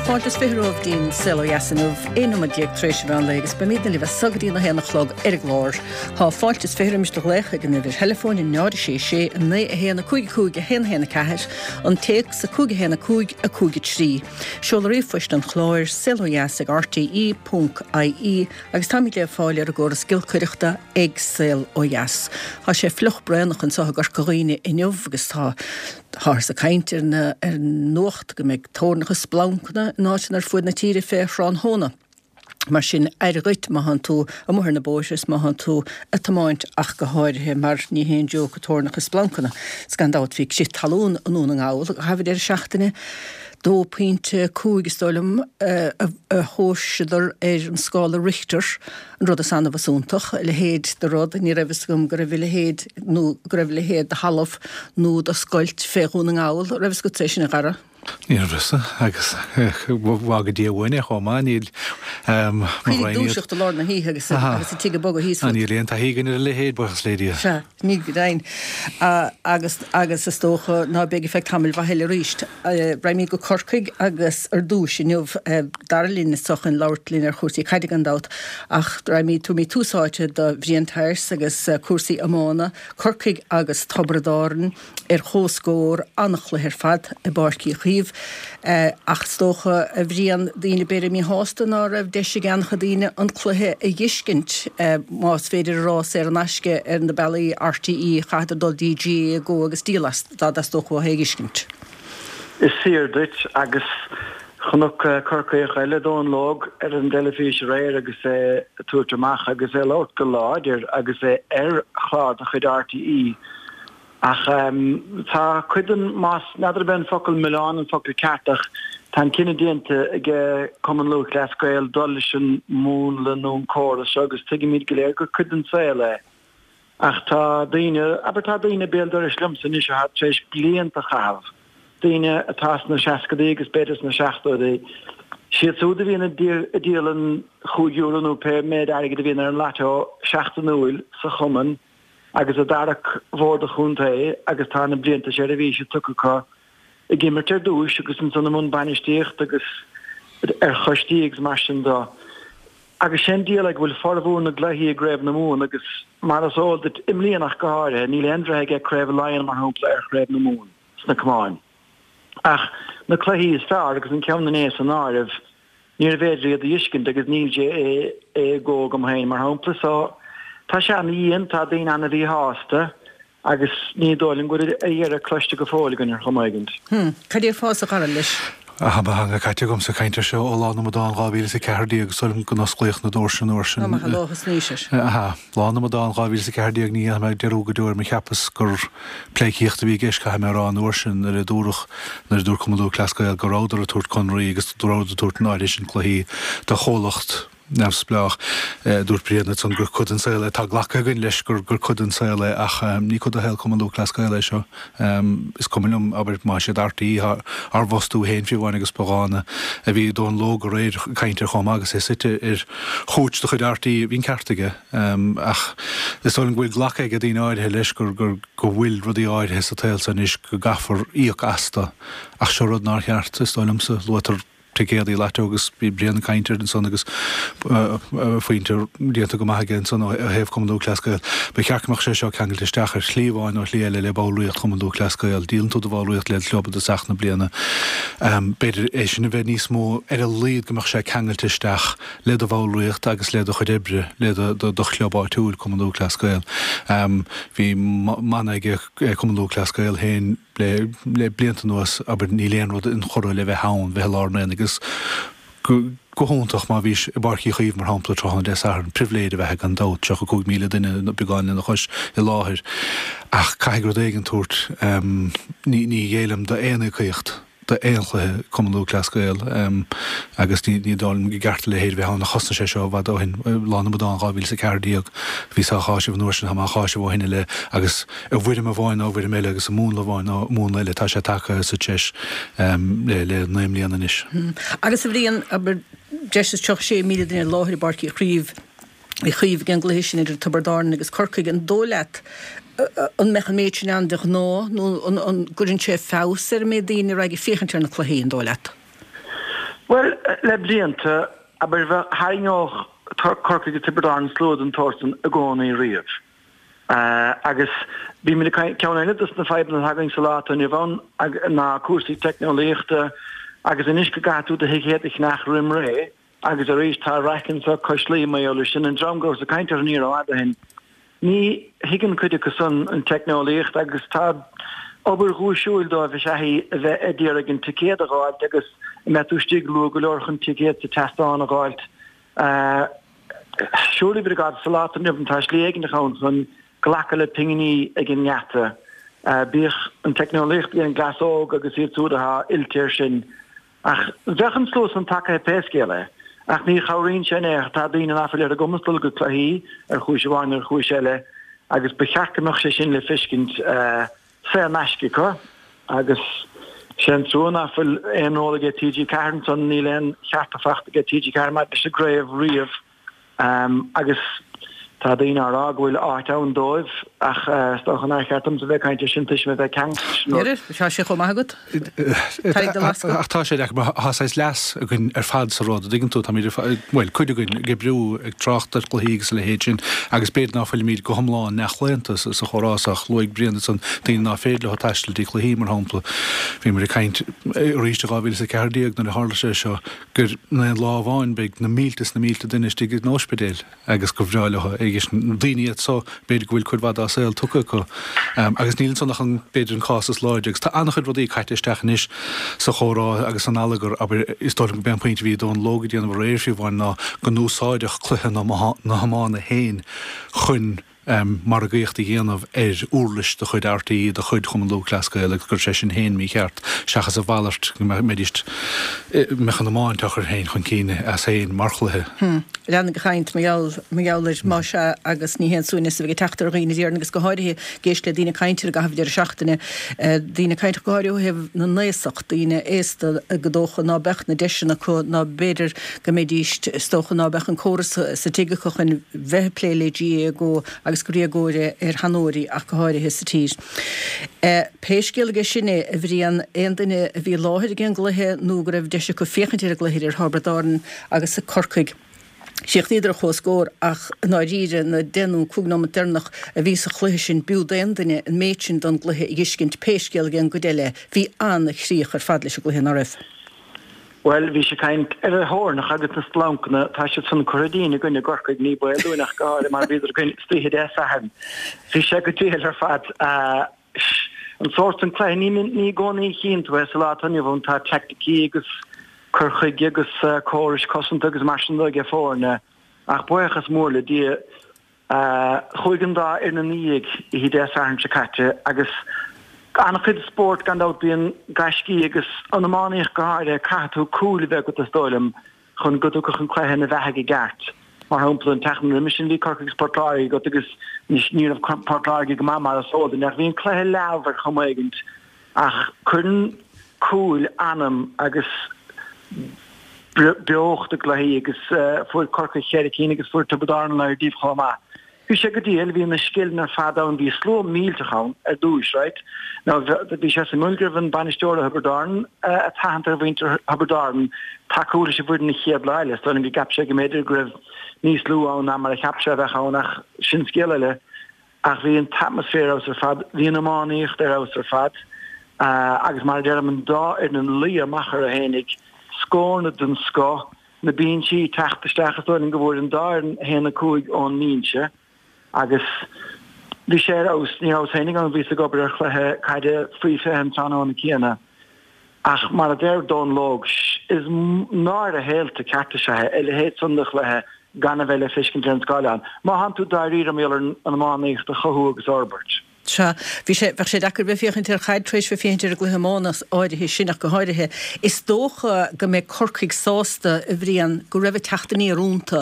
Tá fáilte is 20 romhaibh dtí'n Saol Ó Dheas inniu, 11 nóiméad tar éis an mheán lae agus beimidne libh as so go dtí na haon a chlog ar an gclár. Tá fáilte is 20 roimis do ghlaoch ag an uimhir theileafóin 0 6 6 9 1 5 5 1 1 4, an téacs 5 1 5 5 3. Seoladh ríomhphoist an chláir, saolodheas ag rte ponc ie agus táimid le fáil ar an gcóras giolcaireachta ag Saol Ó Dheas. Tá sé fliuch braonach anseo i gCorca Dhuibhne inniu agus tá Táthar ag caint ar an nuacht go mbeidh toirneacha is splancanna in áiteanna ar fuaid na tíre fé thráthnóna. Mar sin, aire dhuit má thánn tú amuigh ar na bóithre is má thánn tú ag tiomáint ach go háirithe mar ní haon joke toirneacha is splancanna. 'S gan dabht bhí crith talún i nDún na nGall i gcaitheamh an deireadh seachtaine, 2.5 is dóigh liom a thomhaiseadar ar an scála Richter. An rud is annamh is iontach, a leithéid de rud, ní raibh fhios agam go raibh a leithéid nó go raibh a leithéid de thalamh nó de scoilt fé Dhún na nGall. Raibh fhios agatsa é sin, a Dhara? Ní raibh fhios agus fága Dia uainn é chomh maith, níl mo Cuimhnigh dúiseacht i lár na hoíche agus agus an tigh ag bogadh thíos fút. Níl aon taithí againn ar a leithéid, buíochas le Dia. Sea, ní go deimhin. Agus agus is dócha ná beidh ar feadh tamaill mhaith eile arís. Raghaimid go Corcaigh agus ar dtúis inniu, Dara linn anseo chun labhairt linn ar chúrsaí caide gan dabht, ach raghaimid, tabharfaimid tús áite do Bhrian Pearse agus cúrsaí iomána, Corcaigh agus Tiobraid Árann ar comhscór, an-chluiche ar fad i bPáirc Uí Chaoimh. Ach is dócha, a Bhriain, daoine b'fhéidir míshásta ná raibh deis ag an-chuid daoine an cluiche a dh'fheiscint, más féidir a rá, saor in aisce ar na bealaí RTÉ, chaitheadar dul dtí GAA Go agus díol as dá dteastódh uathu é a dh'fheiscint. Is fíor duit, agus chonac Corcaíoch eile, Dónal Óg, ar an dteilifís aréir agus é ag tabhairt amach agus é ag labhairt go láidir agus é ar chlár de chuid RTÉ. Ach tá cuid den, más, n'fheadar ab é an focal milleán an focal ceart ach tá an cinneadh déanta ag Cumann Lúthchleas Gael dul leis an múnla nó an córas seo agus tuigimid go léir gur cuid den saol é. Ach tá daoine, abair tá daoine béal dorais liomsa anois atá tar éis blianta a chaitheamh, daoine atá sna seascadaí agus b'fhéidir sna seachtóidí, siad súd a bhíonn ag díol an chúig euro nó pé méid airgid a bhíonn ar an lató seachtainiúil sa chumann agus a d'amharc Bord an Chontae agus tá na blianta seirbhíse tugtha acu ag imirt ar dtúis agus ansan i mbun bainistíocht agus ar choistí agus mar sin de. Agus sé'n diabhal é go bhfuil formhór na gcluichí i gCraobh na Mumhan agus, mar is eol duit, i mbliana ach go háirithe, níl aon bhreith aige Craobh Laighean, mar shampla, ar Chraobh na Mumhan sna camáin. Ach na cluichí is fearr, agus an ceann inné san áireamh, níorbh fhéidir iad a dh'fheiscint agus níl GAA Go agam féin, mar shampla. So, tá sé ana-dhian, tá daoine ana-mhíshásta. Agus ní dóigh liom go bhfuil a dheireadh cloiste go fóill againn ar chuma éigint. Hm. Cad déarfása a Dhara leis? Tá mo theanga caite agamsa ag caint air seo ó Lá na mAmadán 2014 is dóigh liom go n-osclaíodh na doirse an uair sin. Tá maith an lá thosnaís air. Aha. Lá na mAmadán 2014 ní dhéanfaidh mé dearúd go deo air mar cheapas gur pleidhcíocht a bhí i gceist caithfidh mé a rá an uair sin nuair a dúradh nuair a dúirt Cumann Lúthchleas Gael go rabhadar ag tabhairt conraí agus go rabhadar ag tabhairt an áirithe sin cluichí do chomhlacht neamhspleách. Dúirt Brian ansan gur cuid den saol é. Tá glactha againn leis gur cuid den saol é ach ní cuid de shaol Chumann Lúthchleas Gael é seo. Is cuma liom, abair, más iad RTÉ atá ár bhfostú féin fiú amháin agus ba dhána a bhí Dónal Óg aréir ag caint air chomh maith agus é suite ar chúits de chuid RTÉ. Bhí an ceart aige ach is dóigh liom go bhfuil glactha ag daoine áirithe leis gur go bhfuil rudaí áirithe sa tsaol seo anois go gcaithfear íoc astu ach seo rud nár cheart, is dóigh liomsa. Luaitear ticéadaí lató agus bhí Brian ag caint air ansan agus pointe déanta go maith aige ansan ó thaobh Chumann Lúthchleas Gael. Ba cheart go mbeadh sé seo ceangailte isteach ar shlí amháin nó shlí eile le ballraíocht Chumann Lúthchleas Gael. Díolann tú do bhallraíocht le do chlub i dtosach na bliana. B'fhéidir é sin a bheith níos mó, ar a laghad go mbeadh sé ceangailte isteach le do bhallraíocht agus le do chuid oibre le do chlub áitiúil, Cumann Lúthchleas Gael. Bhí mana ag Cumann Lúthchleas Gael féin, Le blianta anuas, abair, níl aon rud inchurtha le bheith ann, bheith i lár an aonaigh agus go hiontach má bhís i bPáirc Uí Chaoimh, mar shampla, tráthnóna Dé Sathairn. Pribhléid ab ea é gan dabht, 35,000 duine nó beagán lena chois i láthair. Ach caithfidh rud éigin tabhairt, ní ghéillim d'aon íocaíocht. d'aon chluiche Cumann Lúthchleas Gael agus ní dóigh liom go gceart a leithéid a bheith ann ach thosnaigh sé seo i bhfad ó shin, Lá na mAmadán 2014. Bhíos á cháiseamh an uair sin, tá mé á cháiseamh ó shin i leith agus i bhfoirm amháin nó i bhfoirm eile agus i múnla amháin nó i múnla eile tá sé tagtha sa treis le 9 mbliana anois. Agus a Bhriain, abair, breis is 36,000 duine i láthair i bPáirc Uí Chraoibh, Uí Chaoimh ag an gcluiche sin idir Tiobraid Árann agus Corcaigh. An dóigh leat an mbeadh an méid sin ann de ghnáth nó an gcuireann sé feabhas ar an méid daoine a raghaidh ag féachaint ar na cluichí, an dóigh leat? Bhuel, le blianta, abair, bheadh, tharraingeodh Corcaigh agus Tiobraid Árann slua den tsórt san i gcónaí riamh. Agus bímid ag caint, ceann eile dos na fadhbanna atá againn sa lá atá inniu ann ná cúrsaí teicneolaíochta agus anois go gcaithfidh tú do thicéad a cheannach roim ré agus arís tá raic anso cois Laoi mar gheall air sin, an dream go rabhas ag caint orthu ní rófhada ó shin. Ní thuigeann cuid acu san an teicneolaíocht agus tá obair ghuaisiúil dóibh is ea í a bheith ag iarraidh an ticéad a dh'fháilt agus an mbeidh tú istigh luath go leor chun ticéad sa tseastán a dh'fháilt. Surely by God, sa lá atá inniu ann tá slí éigineach ann chun glacadh le pinginí ag an ngeata. Bíodh an teicneolaíocht ag an gcleas óg agus iad súd atá oilte air sin. Ach bheadh an slua san tagaithe pé scéal é. Ach ní chabhraíonn sé in aon chor. Tá daoine ná fuil ar a gcumas dul go cluichí ar chúis amháin nó ar chúis eile agus ba cheart go mbeadh sé sin le feiscint saor in aisce acu. Agus sé an trua ná fuil aon ról aige TG4 ansan, níl aon chearta fachta aige TG4 maidir leis an gcraobh riamh. Agus tá daoine á rá go bhfuil áit ann dóibh, ach is dócha nár cheart domsa bheith ag caint air sin toisc mé bheith ceangailte leis an rud. Tá sé chomh maith agat. Tarraing do lascach. Ach tá sé deacair mar tá saghas leas againn ar fad sa rud, an dtuigeann tú, táimid ar fad, bhuel, cuid againn ag oibriú, ag trácht ar chluichí agus a leithéid sin agus b'fhéidir ná fuilimid go hiomlán neamhchlaonta sa chomhrá so ach luaigh Brian ansan daoine ná féidir leo taisteal dtí cluichí, mar shampla. Bhíomar ag caint arís i 2014 nuair a tharla sé seo, gur in aon lá amháin beidh na mílte is na mílte duine istigh in ospidéil agus gur bhreá leo agus daoine iad so b'fhéidir go bhfuil cuid mhaith dá saol tugtha acu agus níl ansan ach an b'fhéidir an cás is láidre agus tá an-chuid rudaí caite isteach anois sa chomhrá agus san allagar abair is dóigh liom go b'é an pointe a bhí Dónal Óg ag déanamh aréir fiú amháin ná go n-úsáideadh cluiche na hiomána féin chun margaíocht a dhéanamh ar uirlis de chuid RTÉ, de chuid Chumann Lúthchleas Gael agus go raibh sé sin féin mícheart, seachas a mhalairt, go mbeidís, mbeadh an iomáint á chur féin chun cinn as féin mar chluiche. Lean ag caint mar gheall, mar gheall air, más ea, agus ní haon suaimhneas a bheidh ag teacht ar dhaoine déarfainn agus go háirithe ag éisteacht le daoine ag caint ar an gcaitheamh deireadh seachtaine, daoine ag caint go háirithe ó thaobh na n-aosach, daoine aosta go dócha ná beadh na deiseanna acu ná b'fhéidir go mbeidís, is dócha ná beadh an córas sa tigh acu chun bheith ag plé le GAA Go agus gur éagóir é ar sheanóirí ach go háirithe sa tír. Pé scéal aige sin é, a Bhriain, aon duine a bhí i láthair ag an gcluiche nó go raibh deis acu féachaint ar an gcluiche idir Thiobraid Árann agus Corcaigh, chríochnaíodar ar comhscór ach i ndáiríre na deich nó 15 nóimeat deireanach a bhí sa chluiche sin b'fhiú d'aon duine an méid sin don gcluiche a dh'fheiscint pé scéal aige an gcuid eile bhí an-chríoch ar fad leis an gcluiche ná raibh? Bhuel, bhís ag caint ar na thoirneacha agus na splancanna, tá siad san curtha dínn againn i gCorcaigh, ní baol dúinn ach go háirithe mar bhíodar againn istoíche Dé Sathairn. Bhí sé go diail ar fad. An sórt san cluiche, ní ní i gcónaí a chíonn tú é sa lá atá inniu ann, tá teaicticí agus cur chuige agus córais cosanta agus mar sin de ag foirne, ach buíochas mór le Dia, Chuaigh an dá fhoireann ina dhiaidh oíche Dé Sathairn seo caite agus an-chuid spóirt gan dabht bíonn gaiscí agus an iománaíocht go háirithe caithfidh tú cúil a bheith agat is dóigh liom chun go dtiocfadh an cluiche ina bheathaidh i gceart. Mar shampla an tseachtain roimis sin bhí Corcaigh agus Port Láirge agat agus ní raibh Port Láirge go maith mar is eol duinn ach bhí an cluiche leamh ar chuma éigint Ach cuireann cúil anam agus beocht i gcluichí agus fuair Corcaigh cheithre cinn agus fuair Tiobraid Árann a laghad díobh chomh maith. Bhí sé go diail, bhí na scileanna ar fad ann, bhí slua millteach ann ar dtúis, right? Now bhí sé suimiúil go raibh an bainisteoir ó Thiobraid Árann ag tathant ar mhuintir Thiobraid Árann tacú leis an bhfoireann an chéad lá eile. Is dóigh liom go gceap sé go mb'fhéidir go raibh níos lú ann ná mar a cheap sé a bheadh ann ach sin scéal eile. Ach bhí an t-atmaisféar ar fheabhas ar fad, bhí an iománaíocht ar fheabhas ar fad agus mar a deirim, an dá fhoireann ag luí amach orthu fhéinig, scóranna den scoth, na binsí ag teacht isteach, is dóigh liom go bhfuair an dá fhoireann 1-5 ón mbinse agus bhí sé ar fheabhas. Ní rabhas féinig ann, bhíos ag obair ar chluiche caide faoi 20 an tráthnóna céanna. Ach mar a deir Dónal Óg, is náire shaolta ceart is ea é a leithéid san de chluiche gan a bheith le feiscint ar an scáileán, má thánn tú dáiríre mar gheall ar an iománaíocht a chothú agus a fhorbairt. Sea, bhí sé, bheadh sé deacair bheith féachaint ar chaid tar éis bheith féachaint ar an gcluiche iomána áirithe sin ach go háirithe. Is dócha go mbeidh Corcaigh sásta, a Bhriain, go raibh an teacht aniar iontu.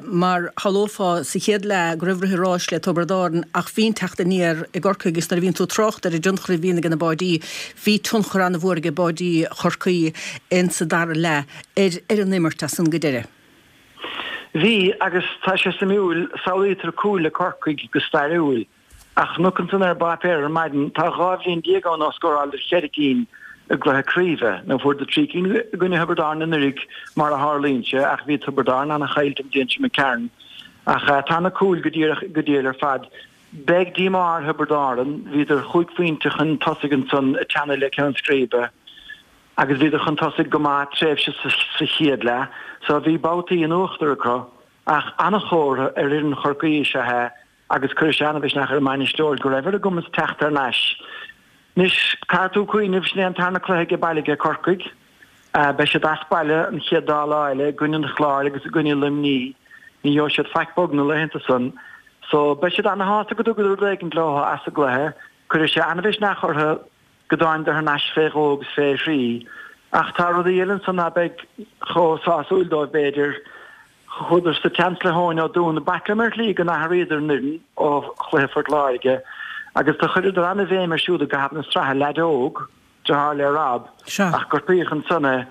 Mar shamhlófá sa chéad leath go raibh rith an ráis le Tiobraid Árann ach bhí an teacht aniar i gCorcaigh agus nuair a bhíonn tú ag trácht ar an dtionchar a bhíonn ag na báidí, Bhí tionchar an-mhór ag báidí Chorcaí in sa dara leath ar ar an imirt as san go deireadh. Bhí, agus tá sé suimiúil, samhlaítear cúil le Corcaigh go stairiúil, ach chonac ansan ar an bpáipéar ar maidin, tá 12 bhliain ann ó scóráladar cheithre cinn. i gcluiche craoibhe. Now fuaireadar 3 cinn i gcoinne Thiobraid Árann anuraidh mar a tharlaíonn sé ach bhí Tiobraid Árann an-chaillte an bhliain sin imigh tharainn. Ach tá na cúil go díreach go diail ar fad. Beidh díomá ar Thiobraid Árann, bhíodar chúig phointe chun tosaigh ansan ag teannadh le ceann scríbe agus bhíodar chun tosaigh go maith tréimhse sa chéad leath so bhí babhtaí in uachtar acu ach an-chomhartha ar fhoireann Chorcaí is ea é agus cuirfidh sé an-mhisneach ar an mbainisteoir go raibh ar a gcumas teacht thar n-ais. Anois, caithfidh tú cuimhneamh, sin é an tarna cluiche aige baile aige Corcaigh. Beidh siad as baile an chéad dá lá eile, i gcoinne an Chláir agus i gcoinne Luimní. Ní gheobhaidh siad faic bog na laethanta san. So, beidh siad ana-shásta go dtugadar rud éigint leo as an gcluiche. Cuirfidh sé an-mhisneach orthu go dtáingadar thar n-ais fé dhó agus fé thrí. Ach tá rudaí eile ansan ná beidh chomh sásúil dóibh, b'fhéidir. Chuadar sa tseans le hEoin Ó Dúna. B'ait liom ar shlí go n-athraíodar an fhoireann ó chluiche Phort Láirge agus do chuireadar an-bhéim ar siúd i gcaitheamh na sraithe, leaid óg, deartháir le Rob, ach gortaíodh ansan é.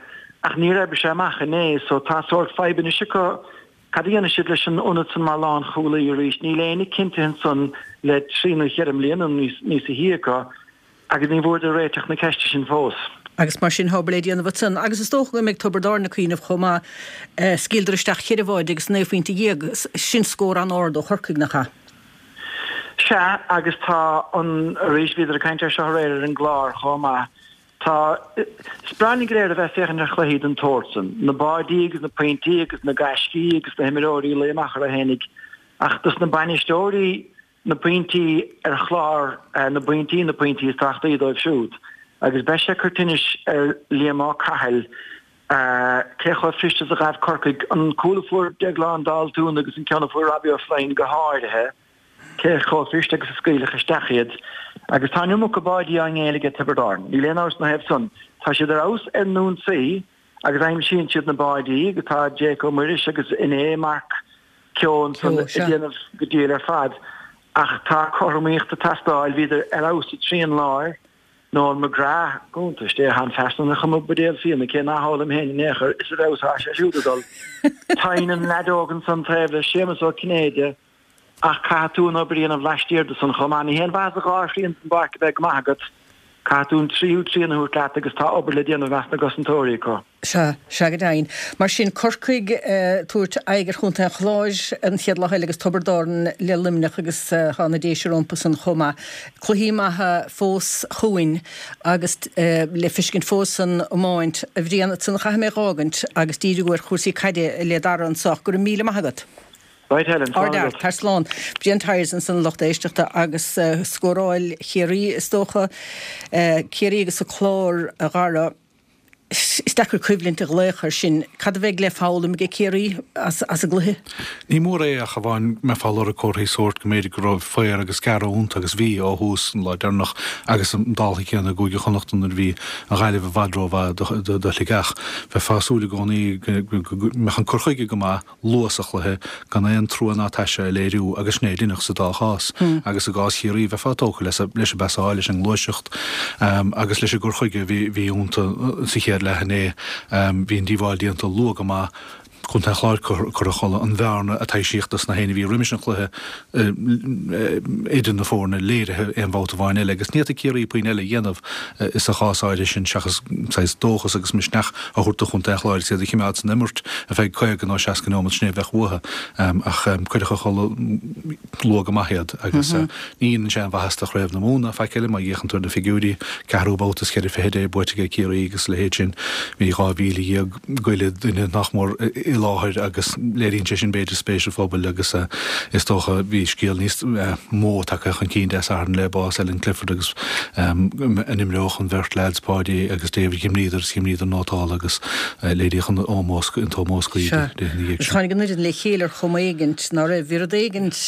Ach níor oibrigh sé amach inné so tá sórt fadhb anois acu cad a dhéanfaidh siad leis an ionad san mar lánchúlaí arís. Níl éinne cinntithe ansan le trí nó cheithre mbliana nó níosa shia acu. Agus ní bhfuaireadar réiteach na ceiste sin fós. Agus mar sin, tá obair le déanamh ansan. Agus is dócha go mbeidh Tiobraid Árann ag cuimhneamh chomh maith. Scaoileadar isteach cheithre bháide agus 19 phointe. Sin scór an-ard ó Chorcaigh, nach ea? Sea, agus tá an, arís, bhíodar ag caint air seo aréir ar an gclár chomh maith, tá, is breá linn go léir a bheith ag féachaint ar chluichí den tsórt san, na báidí agus na pointí agus na gaiscí agus na himreoirí ag luí amach orthu fhéinig, ach dos na bainisteoirí, na pointí ar chlár na bpointí na pointí is tábhachtaí dóibh siúd agus beidh sé ag cur tinnis ar Liam Ó Cathail cé chomh fuirist is a ghabh Corcaigh an cúl a fuair Deaglán Daltún agus an ceann a fuair Robbie O'Flynn go háirithe, cé chomh fuirist agus a scaoileadh isteach iad. Agus tá an iomarca báidí á ngéilleadh ag Tiobraid Árann, níl aon amhras ina thaobh san. Tá siad ar fheabhas ar an ionsaí agus aimsíonn siad na báidí agus tá Jake Ó Muiris agus inné Mark Keogh ansan ag déanamh go diail ar fad ach tá cothromaíocht ag teastáil. Bhíodar ar fheabhas sa trian láir. Noel McGrath, go hiontais Dé, tá an fear san ar chuma buidéal fíona, cé ná hólaim féin in aon chor, is ar fheabhas atá sé siúd ag dul. Teann an leaid óg ansan taobh le Séamus Ó Cinnéide ach caithfidh tú an obair a dhéanamh laistiar de san chomh maith. Ní haon mhaitheas an dá thrian den bpáirc a bheith go maith agat, caithfidh tú an tríú trian a thabhairt leat agus tá obair le déanamh i measc na gcosantóirí acu. Sea, sea go deimhin. Mar sin, Corcaigh ag tabhairt aghaidh ar Chontae an Chláir an chéad lá eile agus Tiobraid Árann le Luimneach agus tá na Déise rompu san chomh maith. Cluichí maithe fós chugainn agus le feiscint fós san iomáint. A Bhriain, ansan a chaithfidh mé dh'fhágaint agus díriú ar chúrsaí caide le Dara anso ach go raibh míle maith agat. Right Helen, slán agat. Tar slán. Brian Tyers ansan a lucht éisteachta agus scóráil Chiarraí is dócha. Ciarraí agus an Clár a Dhara. Is deacair coimhlint a ghlaoch air sin. Cad a bheidh le foghlaim aige Ciarraí as an gcluiche? Ní mór é ach amháin go mbeifeá ag lorg comharthaí sóirt go mb'fhéidir go raibh faobhar agus gearradh iontu agus bhí ó thús an lá deireanach agus an dála céanna i gCúige Chonnacht nuair a bhí an Ghaillimh i bhfad rómhaith do Shligeach. Bheifeá ag súil i gcónaí go mbeadh an cur chuige go maith luath sa chluiche gan aon trua ná taise a léiriú agus sin é a deineadh sa dá chás. Agus i gcás Chiarraí bheifeá tógtha leis an bpasáil, leis an ngluaiseacht agus leis an gcur chuige a bhí iontu sa chéad leath inné. Bhí an díobháil déanta luath go maith. Contae an Chláir curtha a chodladh. An bhearna a taibhsíodh dos na héinne a bhí roimis an chluiche idir na foirne léirithe aon bhabhta amháin eile agus ní fhéadfadh Ciarraí puinn eile a dhéanamh sa chás áirithe sin seachas saghas dóchas agus misneach a thabhairt do chontae an Chláir agus iad a chimeád san imirt ar feadh 50 nó 60 neomat, sin é a bheadh uathu. Ach cuireadh a chodladh luath go maith iad agus ní dhéanann sé aon mhaitheas do Chraobh na Mumhan ná faic eile má fhéachann tú ar na figiúirí, ceathrú babhta is cheithre fichid é buaite aige Ciarraí agus a leithéid sin. Bhí 12,000 go leith duine nach mór i láthair agus léiríonn sé sin b'fhéidir spéis an phobail agus is dócha bhí scéal níos mó tagtha chun cinn Dé Sathairn le bás Ellen Clifford agus an imreodh an bheirt leaids Páidí agus David d'imríodar is d'imríodar nótálta agus léiríodh an ómós an t-ómós cuí di ina dhiaidh sin. Tháinig an fhoireann le chéile ar chuma éigint ná raibh, bhí rud éigint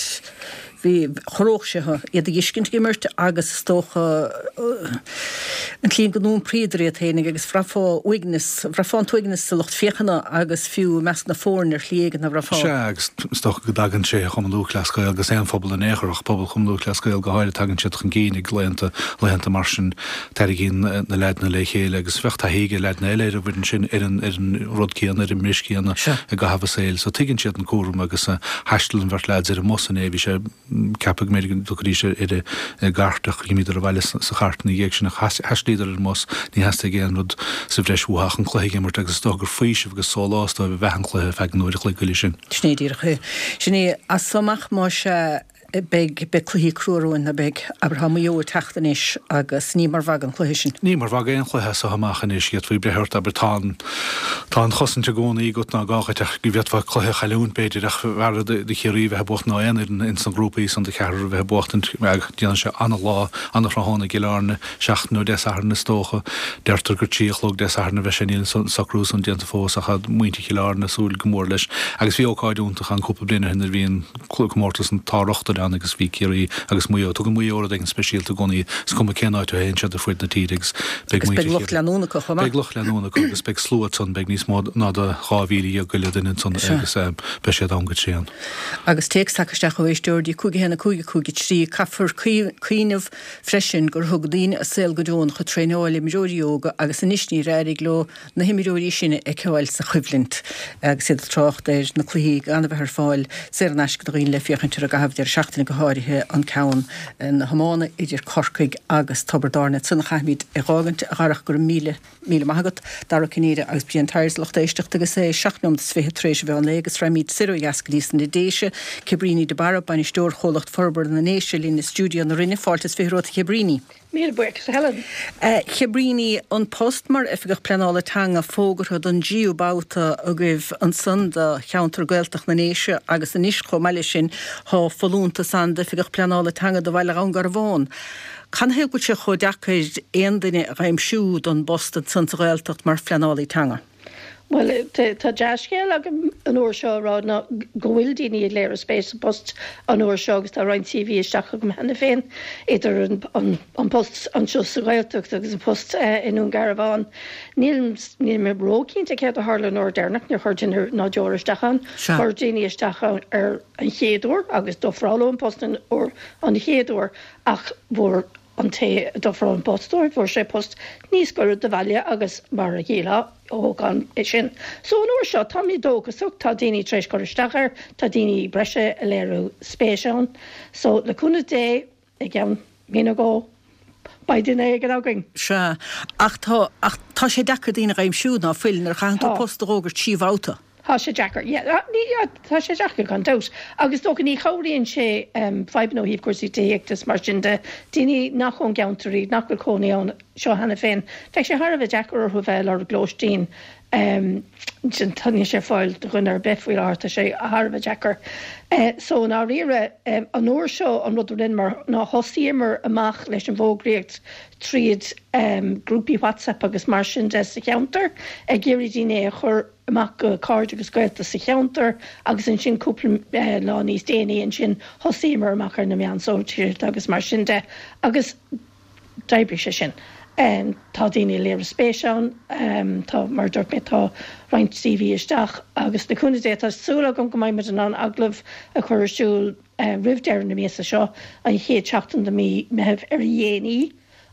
Bhí, chorródh sé thú, iad a dh'fheiscint ag imirt agus is dócha an tslí go n-iompraíodar iad féinig agus bhraithfeá uaigneas, bhraithfeá an t-uaigneas sa lucht féachana agus fiú i measc na foirne ar shlí éigin, nach mbraithfeá? Sea, agus is dócha go dtagann sé Chumann Lúthchleas Gael agus aon phobal in aon chor ach pobal Chumann Lúthchleas Gael go háirithe, tagann siad chun cinn ag laethanta, laethanta mar sin, tarraingíonn na leaideanna le chéile agus bheadh taithí ag leaideanna eile ar an bhfoireann sin ar an, ar an rud céanna, ar an mbris céanna i gcaitheamh a saoil. So tuigeann siad an cúram agus thaistil an bheirt leaids ar an mbus inné, bhí sé ceaptha go mb'fhéidir go dtiocfaidís ar an gcairt ach dh'imíodar abhaile sa chairt ina dhiaidh sin ach thaistil. Thaistilíodar ar an mbus, ní theastaigh aon rud sa bhreis uathu ach an cluiche a imirt agus is dócha gur faoiseamh agus sólás dóibh a bheadh an cluiche ar feadh an uair a chloig uile sin. Sin é díreach é. Sin é, as so amach más ea beidh, beidh cluichí crua romhainn, ná beidh? Abair, tá Maigh Eo ag teacht anois agus ní mar mhagadh an cluiche sin. Ní mar mhagadh aon chluiche as so amach anois, d'fhéadfaí breith ort, abair, tá an, tá an chosaint i gcónaí agat, ná gá dhuit ach go bhféadfá cluiche a chailliúint, b'fhéidir, ach b'fhearra do Chiarraí bheith ag buachtaint ná aon fhoireann ins na grúpaí san do cheathrar a bheith ag buachtaint. Déanann sé ana-lá, ana-thráthnóna i gCill Airne, seachtain ó Dé Sathairn is dócha. Deirtear gur 3 a chlog Dé Sathairn a bheidh sé, níl an socrú san déanta fós ach tá muintir Chill Airne ag súil go mór leis. Agus bhí ócáid iontach ann cúpla bliain ó shin nuair a bhí an comórtas an tsár-rochtain ann agus bhí Ciarraí agus Maigh Eo. Tugann Maigh Eo rud éigin speisialta i gcónaí, is cuma cén áit a théann siad ar fuaid na tíre agus beidh Agus beidh lucht leanúna acu chomh maith. Beidh lucht leanúna acu agus beidh slua ansan, beidh níos mó ná do 12,000 go leith duine ansan agus beidh siad ann go tréan. Agus téacs tagtha isteach ó éisteoir dtí 5 1 5 5 3, Caithfear cuimhneamh freisin gur thug daoine a saol go deonach ag traenáil imreoirí óga agus anois níor éirigh leo na himreoirí sin a fheiceáil sa choimhlint agus iad ag trácht ar na cluichí gan a bheith ar fáil saor in aisce do dhaoine le féachaint orthu i gcaitheamh deireadh seachtaine go háirithe an ceann na hiomána idir Corcaigh agus Tiobraid Árann. Ansan a chaithfimid é dh'fhágaint, a Dharach, go raibh míle míle maith agat. Dara Ó Cinnéide agus Brian Tyers, lucht éisteachta agus é 7 nóiméad is 20 tar éis an mheán lae agus raghaimid soir ó dheas go dtí sna Déise. Cabríní de Barra, Bainisteoir Chomhlacht Forbartha na nDéise linn i stiúideo na Rinne. Fáilte is 20 romhat a Chabríní. Míle buíochas a Helen. Cabríní, an post mar Oifigeach Pleanála Teanga fógartha don dtríú babhta agaibh ansan do cheantar Gaeltacht na nDéise agus anois chomh maith leis sin tá folúntas ann d'Oifigeach Pleanála Teanga do Bhaile Dhún Garbhán. Canathaobh go bhfuil sé chomh deacair aon duine a dh'aimsiú don bpost ansan sa Ghaeltacht mar phleanálaí teanga? Bhuel, tá dea-scéal agam an uair seo a rá ná go bhfuil daoine ag léiriú spéis sa bpost an uair seo agus tá roinnt CV isteach agam cheana féin, idir an post anseo sa Ghaeltacht agus an post i nDún Garbhán. Níl níl mé róchinnte céard a tharla an uair deireanach, níor chuir duine ná deoir isteach ann. Chuir daoine isteach ann ar an chéad uair agus d'ofráladh an post an uair an chéad uair ach bhfuair an té a d'ofráil an post dóibh, fuair sé post níos gaire do bhaile agus mar a shílfeá, thóg an é sin. So an uair seo, tá mé dóchasach, tá daoine tar éis cur isteach air, tá daoine breise ag léiriú spéis ann. So le cúnamh Dé, i gceann mí nó dhó, beidh duine éigin againn. Sea, ach tá, ach tá sé deacair daoine a dh'aimsiú, ná fuil, nuair a chaitheann tú post a dh'fhógairt trí bhabhta. Tá sé deacair, yeah. Tá sé deacair gan dabht. Agus is dócha ní chabhraíonn sé fadhbanna ó thaobh cúrsaí tithíochta is mar sin de, daoine nach ón gceantar iad, nach bhfuil cónaí anseo cheana féin, bheadh sé thar a bheith deacair orthu bheith ag lorg lóistín. Tá, níl sé ar fáil do dhuine ar bith faoi láthair, tá sé thar a bheith deacair. So i ndáiríre, an uair seo an rud a rinneamar ná thosaíomar amach leis an bhfógraíocht tríd grúpaí WhatsApp agus mar sin de sa cheantar, ag iarraidh daoine a chur amach go cairde agus gaolta sa cheantar agus ansin cúpla lá níos déanaí ansin thosaíomar amach ar na meáin sóisialta agus mar sin de agus d'oibrigh sé sin. Tá daoine ag léiriú spéis ann, tá, mar a dúirt mé, tá roinnt CV isteach agus le cúnamh Dé tá súil agam go mbeidh muid in ann agallamh a chur ar siúl roimh deireadh na míosa seo, an chéad seachtain de mhí Meitheamh ar a dhéanaí.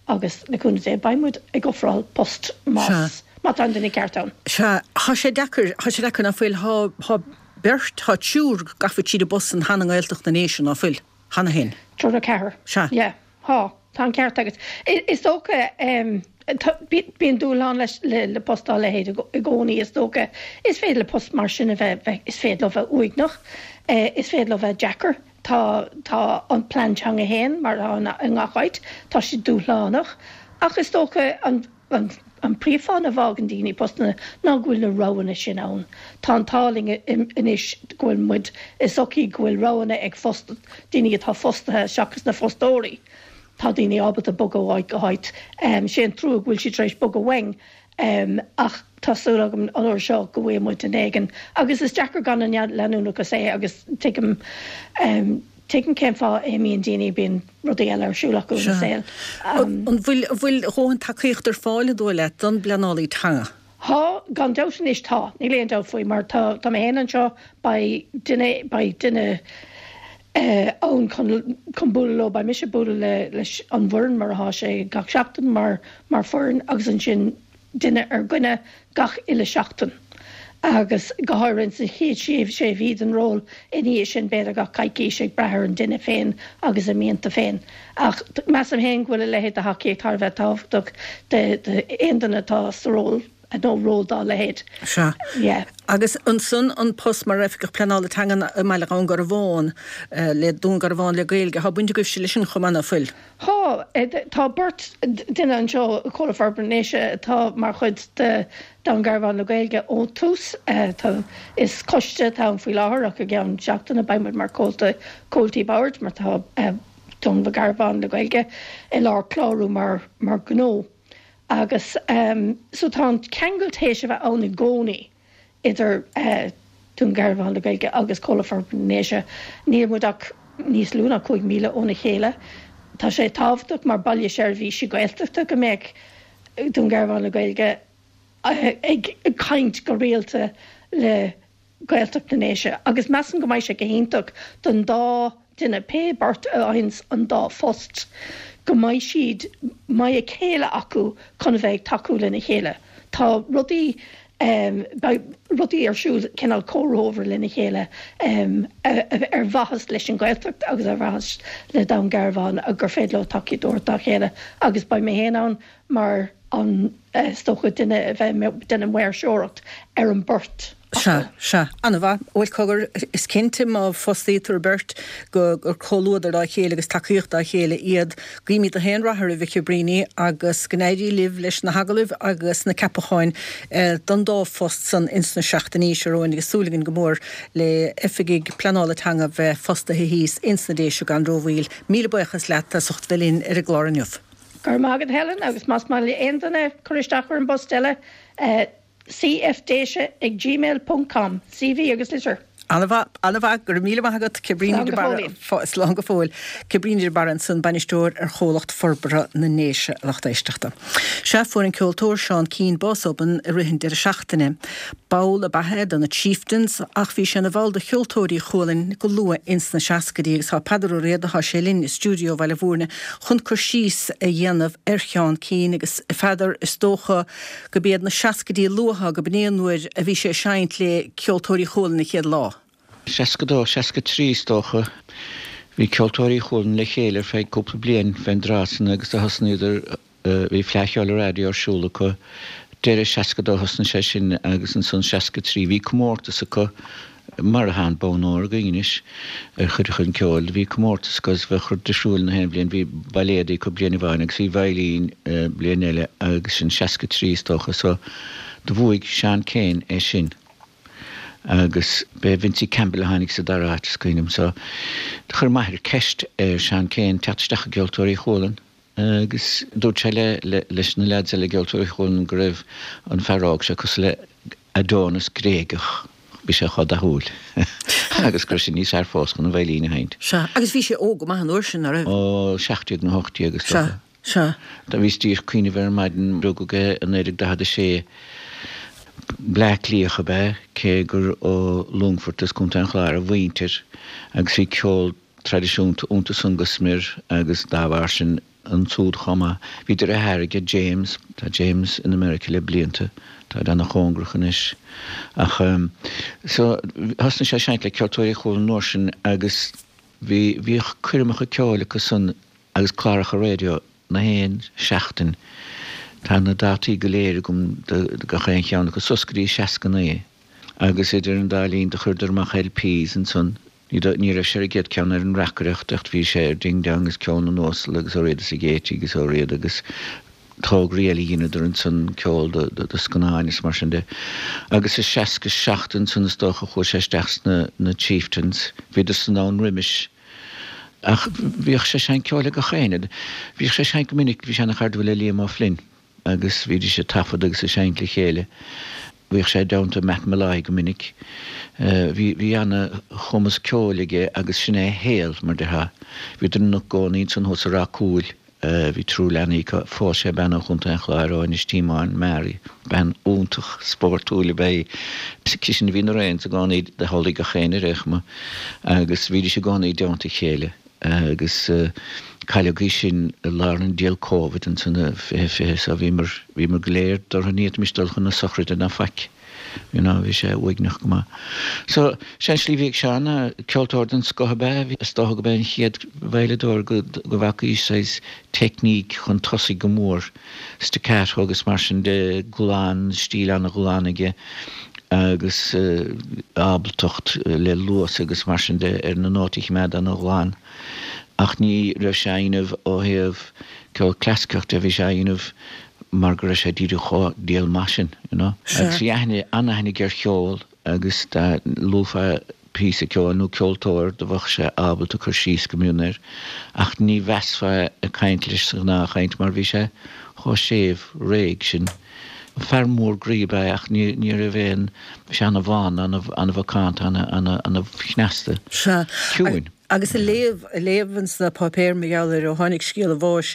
Agus le cúnamh Dé, beidh muid ag ofráil post más, má tá an duine ceart ann. Sea, thá sé deacair, thá sé deacair ná fuil, thá, thá beirt, thá triúr gafa tríd an bpost san cheana i nGaeltacht na nDéise ná fuil, cheana féin. Triúr nó ceathrar. Sea. Yeah, thá, tá an ceart agat. Is dócha, tá, bíonn dúshlán leis, le, le post dá leithéid i gcónaí is dócha. Is féidir le post mar sin a bheith, bheith, is féidir leo bheith uaigneach, is féidir leo bheith deacair. Tá, tá an plean teanga féin, mar atá i ngach áit, tá sé dúshlánach, ach is dócha an, an, an príomhfháth a bhfágann daoine postanna ná go bhfuil na roghanna sin ann. Tá an t-ádh linn anois go bhfuil muid i sochaí go bhfuil roghanna ag fost, daoine atá fostaithe seachas na fostóirí. Tá daoine ábalta bogadh ó áit go háit. Sé an trua go bhfuil siad tar éis bogadh uainn Ach tá súil agam an uair seo go bhfaighidh muid duine éigin. Agus is deacair gan an leanúnachas é agus tuigim, tuigim cén fáth a imíonn daoine, bíonn rudaí eile ar siúl acu ina saol. An bhfuil, an bhfuil a dhóthain tacaíocht ar fáil, an dóigh leat, don bpleanálaí teanga? Tá, gan dabht anois tá, níl aon dabht faoi mar tá, tá mé féin anseo, beidh duine, beidh duine ann chun, chun bualadh leo, beidh mise ag bualadh le, leis an bhfoireann mar atá sé gach seachtain mar, mar foireann agus ansin duine ar dhuine gach uile seachtain. Agus go háirithe ins an chéad sé mhí den ról, ina dhiaidh sin b'fhéidir gach coicís ag brath ar an duine féin agus a mianta féin. Ach measaim féin go bhfuil a leithéid de thacaíocht thar a bheith tábhachtach d'aon duine atá sa ról nó ról dá leithéid. Sea. Yeah. Agus ansan an post mar Oifigeach Pleanála Teangan i mBaile Dhún Garbhán, le Dún Garbhán le Gaeilge, tá baint agaibhse leis sin chomh maith, ná fuil? Tá. Tá beirt duine anseo i Comhlucht Forbartha na nDéise atá mar chuid de Dún Garbhán le Gaeilge ón tús. Tá, is coiste atá ann faoi láthair ach i gceann seachtaine beidh muid mar comhalta, comhaltaí boird mar tá Dún Garbhán le Gaeilge i lár clárú mar mar gnó. Agus so tá an ceangal théis a bheith ann i gcónaí. idir Dún Garbhán le Gaeilge agus Comhlucht Forbartha na nDéise. Níl muid ach níos lú ná 5 mhíle óna chéile. Tá sé tábhachtach mar baile seirbhíse Gaeltachta go mbeadh Dún Garbhán le Gaeilge ag caint go rialta le Gaeltacht na nDéise agus measaim go mbeidh sé go hiontach don dá duine, pé beirt a fhaigheanns an dá phost, go mbeidh siad, mbeidh a chéile acu chun a bheith ag tacú lena chéile. Tá rudaí, beidh rudaí ar siúl cineál comhthreomhar lena chéile ar mhaitheas leis an Ghaeltacht agus ar mhaitheas le Dún Garbhán gur féidir leo tacaíocht a thabhairt dá chéile agus beidh mé féin ann mar an, is dócha, duine a bheidh ag déanamh maoirseoireacht ar an beirt. Sea, sea. An-mhaith. Bhuel, cogar, is cinnte má fostaítear beirt go gur comhluadar dá chéile agus tacaíocht dá chéile iad. Guímid gach aon rath oraibh, a Chabríní, agus go n-éirí libh leis na hagallaimh agus na ceapacháin don dá phost san ins na seachtainí seo romhainn agus súil againn go mór le oifigigh pleanála teanga bheith fostaithe thíos ins na Déise gan rómhoill. Míle buíochas leat as ucht bheith linn ar an gclár inniu. Go raibh maith agat Helen agus más maith le aon duine cur isteach ar an bpost eile, cfdéise ag gmail ponc com, CV agus litir. An-mhaith, an-mhaith, go raibh míle maith agat, Cabríní Slán de go Barra, fóillín. slán go fóill. Cabríní de Barra ansan, Bainisteoir ar Chomhlacht Forbartha na nDéise, a lucht éisteachta. Sea, fuair an ceoltóir Seán Keane bás obann i rith an deireadh seachtaine. Ball ab ea é de na Chieftains ach bhí sé ina bhall de Cheoltóirí Chualann go luath ins na seascaidí agus tá Peadar Ó Riada, tá sé linn i stiúideo Bhaile Bhúirne chun cur síos a dhéanamh ar Sheán Keane agus a Pheadair, is dócha go b'iad na seascaidí luatha go b'in é an uair a bhí sé ag seinnt le Ceoltóirí Chualann an chéad lá. 62, 63 is dócha. Bhí Ceoltóirí Chualann le chéile ar feadh cúpla bliain fén dtráth san agus do thosnaíodar, bhí Fleadh Cheoil an Raidió ar siúl acu, deireadh 62 thosnaigh sé sin agus ansan 63 bhí comórtas acu, mar atá an Bonn Óir againn anois ar chuid chun ceoil. Bhí comórtas acu agus bheadh rud difriúil na haon bhliain. Bhí bailéadaí acu bliain amháin agus bhí veidhlín bliain eile agus sin 63 is dócha. So do bhuaigh Seán Keane é sin agus b'é Vincie Campbell a tháinig sa dara háit is cuimhin liom. So do chuir m'athair ceist ar Seán Keane teacht isteach i gCeoltóirí Chualann. Agus dúirt sé leis na leaids eile i gCeoltóirí Chualann go raibh an fear óg seo cosúil le Adonis Gréigeach, bhí sé chomh dathúil agus go raibh sé níos fearr fós chun an veidhlín a sheinnt. Sea, agus bhí sé óg go maith an uair sin, ná raibh? Ó, 17 nó 18 is dócha. Sea, sea. Do bhíos díreach ag cuimhneamh air ar maidin, rugadh é i 1946. Bleá Cliathach ab ea, cé gur ó Longfort as Contae an Chláir a mhuintir agus bhí ceol traidisiúnta iontu san go smior agus dá bharr sin ansúd chomh maith. Bhí deartháir aige, James, tá James in America le blianta, táid ana-chóngarach anois. Ach so, thosnaigh sé ag seinnt le Ceoltóirí Chualann an uair sin agus bhí, bhíodh coirmeacha ceoil acu san agus cláracha raidió na haon seachtain. Tá na dátaí go léir agam do gach aon cheann acu suas go dtí 69 agus idir an dá linn do chuireadar amach LPs ansan. Ní raibh sé ar an gcéad ceann ar an reacaireacht ach bhí sé ar Ding Dong agus Ceol na nUasal agus Ó Riada is ag Éitigh agus Ó Riada agus tograí eile a dheineadar ansan, ceol do scannáin is mar sin de. Agus i 67 ansan is dócha chuaigh sé isteach sna na Chieftains. Bhíodar san ann roimis ach bhíodh sé ag seinnt ceoil le gach éinne. Bhíodh sé ag seinnt go minic, bhí sé ana chairdiúil le Liam O'Flynn. agus bhídís ag taifead agus ag seinnt le chéile. Bhíodh sé i dteannta Matt Molloy go minic. Bhí, bhí ana-chumas ceoil aige agus sin é a shaol, mar déarfá. Bhíodar ina gcónaí ansan thuas i Ráth Cúil. Bhí triúr leanaí acu. Phós sé bean ó Chontae an Chláir, ó Inis Tíomáin, Mary. Bean iontach spórtúil ab ea í. Sise a bhí na reins i gcónaí, do chodlaigh gach éinne ar aon chuma agus bhídís i gcónaí i dteannta a chéile. Agus cailleadh í sin i lár an diabhal Covid ansan i 2020 so bhíomar, bhíomar go léir dúrtha ní fhéadfaimis dul chun na sochraide ná faic. You know, bhí sé uaigneach go maith. So, sé an slí a bhí ag Seán, ceoltóir den scoth ab ea é, is dócha go b'é an chéad veidhleadóir go bhfacaís saghas teicníc chun tosaigh go mór, staccato agus mar sin de, glan, stíl an-ghlan aige agus ábaltacht le luas agus mar sin de ar na nótaí a choimeád an-ghlan. Ach ní raibh sé á dhéanamh ó thaobh ceol clasaiceach de, bhí sé á dhéanamh mar go raibh sé díreach chomh diail maith sin, you know. Agus bhí aithne, an-aithne aige ar cheol agus dá luafá píosa ceoil nó ceoltóir do bheadh sé ábalta cur síos go mion air ach ní mheasfá é ag caint leis sa ghnáthchaint mar bhí sé chomh séimh réidh sin. Fear mór groí ab ea é ach ní ní raibh aon, bhí sé ana-bhán, ana-mhacánta, ana-chneasta, ciúin. Agus ag léamh, ag léamh ins na páipéir mar gheall air ó tháinig scéal a bháis,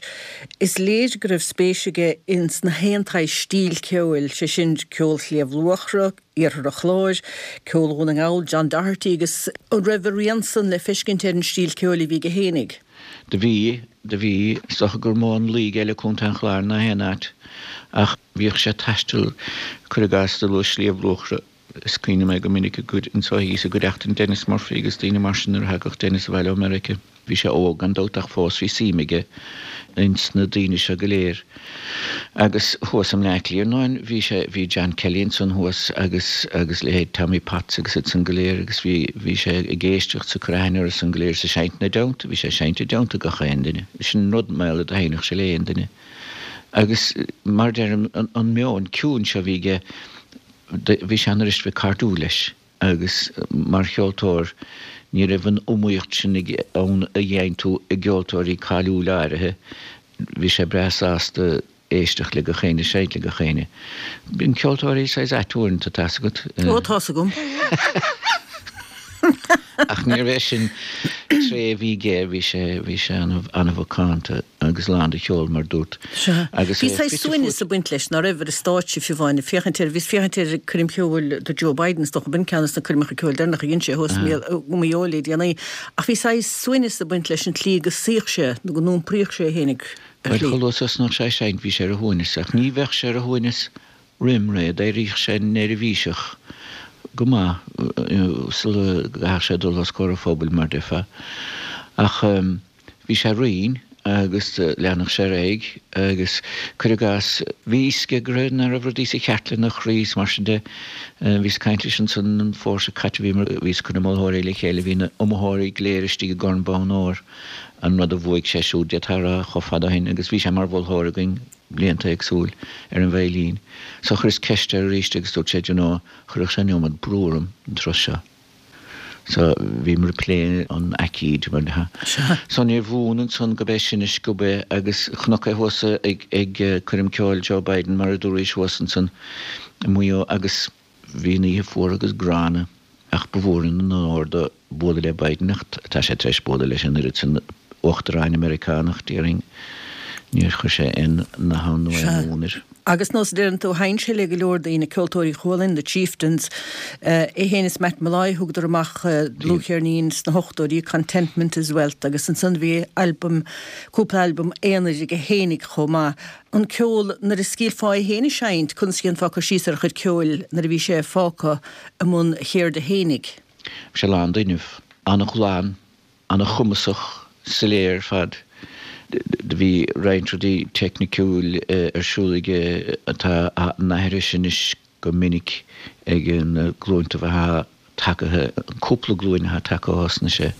is léir go raibh spéis aige ins na haon tsaghas stíl ceoil, sé sin ceol Shliabh Luachra, Iarthar an Chláir, ceol Dhún na nGall, John Doherty agus an raibh a rian san le feiscint ar an stíl ceoil a bhí aige fhéinig? Do bhí, do bhí. Is dócha gur mó an luí aige le Contae an Chláir ná aon áit ach bhíodh sé ag taisteal, cuir i gcás, do luais Sliabh Luachra, Is cuimhin liom é go minic i gcuid anso thíos i gcuideachtain Denis Murphy agus daoine mar sin nuair a thagadh Denis abhaile ó Meirice. Bhí sé óg gan dabht ach fós bhí suim aige ins na daoine seo go léir. Agus thuas i mBleá Cliath ar ndóin bhí sé, bhí John Kelly ansan thuas agus, agus leithéid Tommy Potts agus iad san go léir agus bhí, bhí sé ag éisteacht 's ag cur aithne orthu san go léir 's ag seinnt ina dteannta, bhí sé ag seinnt i dteannta gach aon duine. Sin rud mar gheall air do sheinnfeadh sé le aon duine. Agus mar a deirim an, an meon ciúin seo a bhí aige, Bhí sé an-fhuirist bheith cairdiúil leis agus mar cheoltóir ní raibh an iomaíocht sin ann a gheibheann tú i gceoltóirí cáiliúil áirithe. Bhí sé breá sásta éisteacht le gach éinne, seinnt le gach éinne. Bíonn ceoltóirí saghas ait uaireanta, tá's agat. Ó, tá's agam. Ach níorbh é sin tréith a bhí aige, bhí sé, bhí sé an-mhacánta. agus lán de cheol, mar dúrt. Sea. Agus Bhí saghas suaimhneas ag baint leis, ná raibh, ar an stáitse fiú amháin, ag féachaint air, bhíos ag féachaint ar coirm cheoil do Joe Biden, is dócha, b'in ceann de na coirmeacha ceoil deireanacha a dhein sé thuas i Maigh Eo le déanaí, ach bhí saghas suaimhneas ag baint leis an tslí go suíodh sé nó go n-iompraíodh sé é fhéinig ar Bhuel, shlí. chomh luath is a thosnódh sé ag seinnt, bhí sé ar a shuaimhneas, ach ní bheadh sé ar a shuaimhneas roim ré, d'éiríodh sé neirbhíseach go maith sula gcaithfeadh sé dul os comhair an phobail, mar déarfá. Ach bhí sé righin agus leanfadh sé ar aghaidh agus, cuir i gcás, bhí fhios aige go raibh, nach raibh rudaí sa cheart lena chroí is mar sin de. Bhíos ag caint leis ansan an fómhar seo caite, bhíomar, bhíos ag cur na moltóirí le chéile, bhí na iomaitheoirí go léir istigh i gCorn Bonn Óir, an rud a bhuaigh sé siúd, d'fhéadfá a rá, chomh fada ó shin agus bhí sé mar mholtóir againn. blianta éagsúil ar an veidhlín. So chuireas ceist air arís agus dúirt sé, d'you know, chuirfeadh sé an iomad brú orm an turas seo. So bhíomar ag plé an aicíd mar dhea. So níor bhuan ansan go b'é sin a sciob é agus chonac é thuas ag ag coirm ceoil Joe Biden mar a dúraís thuas ansan i Maigh Eo agus Bhí an oíche fuar agus gránna ach ba mhór an onóir dó bualadh le Biden ach tá sé tar éis bualadh leis an oiread sin uachtaráin Meiriceánach, déarfainn. Níor chuir sé aon nath ann nó aon mhún air. Agus nós a deireann tú, sheinn sé le go leor daoine, Ceoltóirí Chualann, The Chieftains, é féin is Matt Molloy, thugadar amach dlúthcheirnín sna hochtóidí, Contentment is Wealth, agus ansan bhí albam, cúpla albam aonair aige fhéinig chomh maith. An ceol, nuair a scaoilfeá é féin ag seinnt, conas a dhéanfá cur síos ar a chuid ceoil nuair a bhí sé fágtha i mbun a cheirde fhéinig? Bhí sé lán d'fhuinneamh. An-ghlan, an-chumasach, soiléir ar fad. Do bhí roinnt rudaí teicniciúil ar siúl aige atá á n-aithris anois go minic ag na glúinta atá tagaithe, an cúpla glúin atá tagtha ó thosnaigh sé,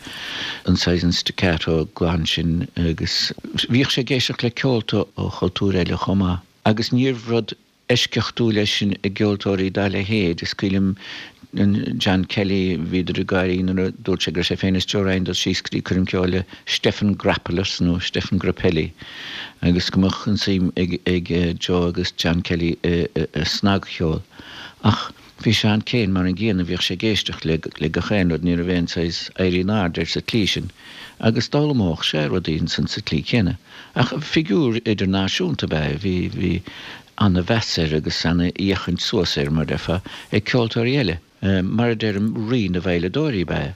an saghas an staccato glan sin agus bhíodh sé ag éisteacht le ceolta ó chultúir eile chomh maith agus níorbh rud eisceachtúil é sin i gceoltóirí dá leithéid. Is cuimhin liom John Kelly, bhíodar ag gáirí nuair a dúirt sé go raibh sé féin is Joe Ryan dul síos go dtí coirm ceoil le Stéphane Grappelis nó Stéphane Grappelli agus go mbeadh an suim ag Joe agus John Kelly i snagcheol. Ach bhí Seán Keane mar an gcéanna, bhíodh sé ag éisteacht le gach aon rud, ní raibh aon saghas éirí in airde air sa tslí sin agus d'fhoghlaimeodh sé rudaí ansan sa tslí chéanna. Ach figiúr idirnáisiúnta ab ea é, bhí, bhí ana-mheas air agus ana-fhéachaint suas air, mar déarfá, ag ceoltóirí eile. Mar a deirim, rí na veidhleadóirí ab ea é.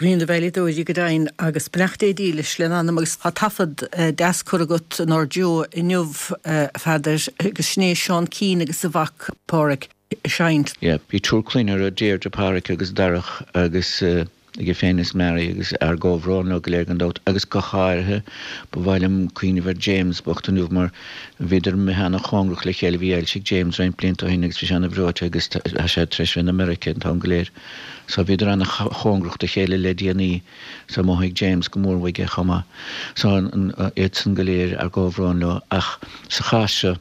Rí na veidhleadóirí go deimhin, agus beannacht Dé dílis lena anam agus tá taifead deas curtha agat inár dtreo inniu, a Pheadair, agus sin é Seán Keane agus a mhac Páraic. ag seinnt. Yeah, bhí triúr clainne orthu, Deirdre, Páraic agus Darach agus aige féin is Mary agus ár gcomhbhrón leo go léir gan dabht agus go háirithe ba mhaith liom cuimhneamh ar James bocht inniu mar bhíodar imithe ana-chóngarach le chéile, bhí ailse ag James roinnt blianta ó shin agus bhí sé ana-bhreoite agus tá sé tar éis bheith in America an t-am go léir so bhíodar ana-chóngarach do chéile le déanaí so mhothaigh James go mór uaidh é chomh maith. So iadsan go léir ár gcomhbhrón leo ach sa chás seo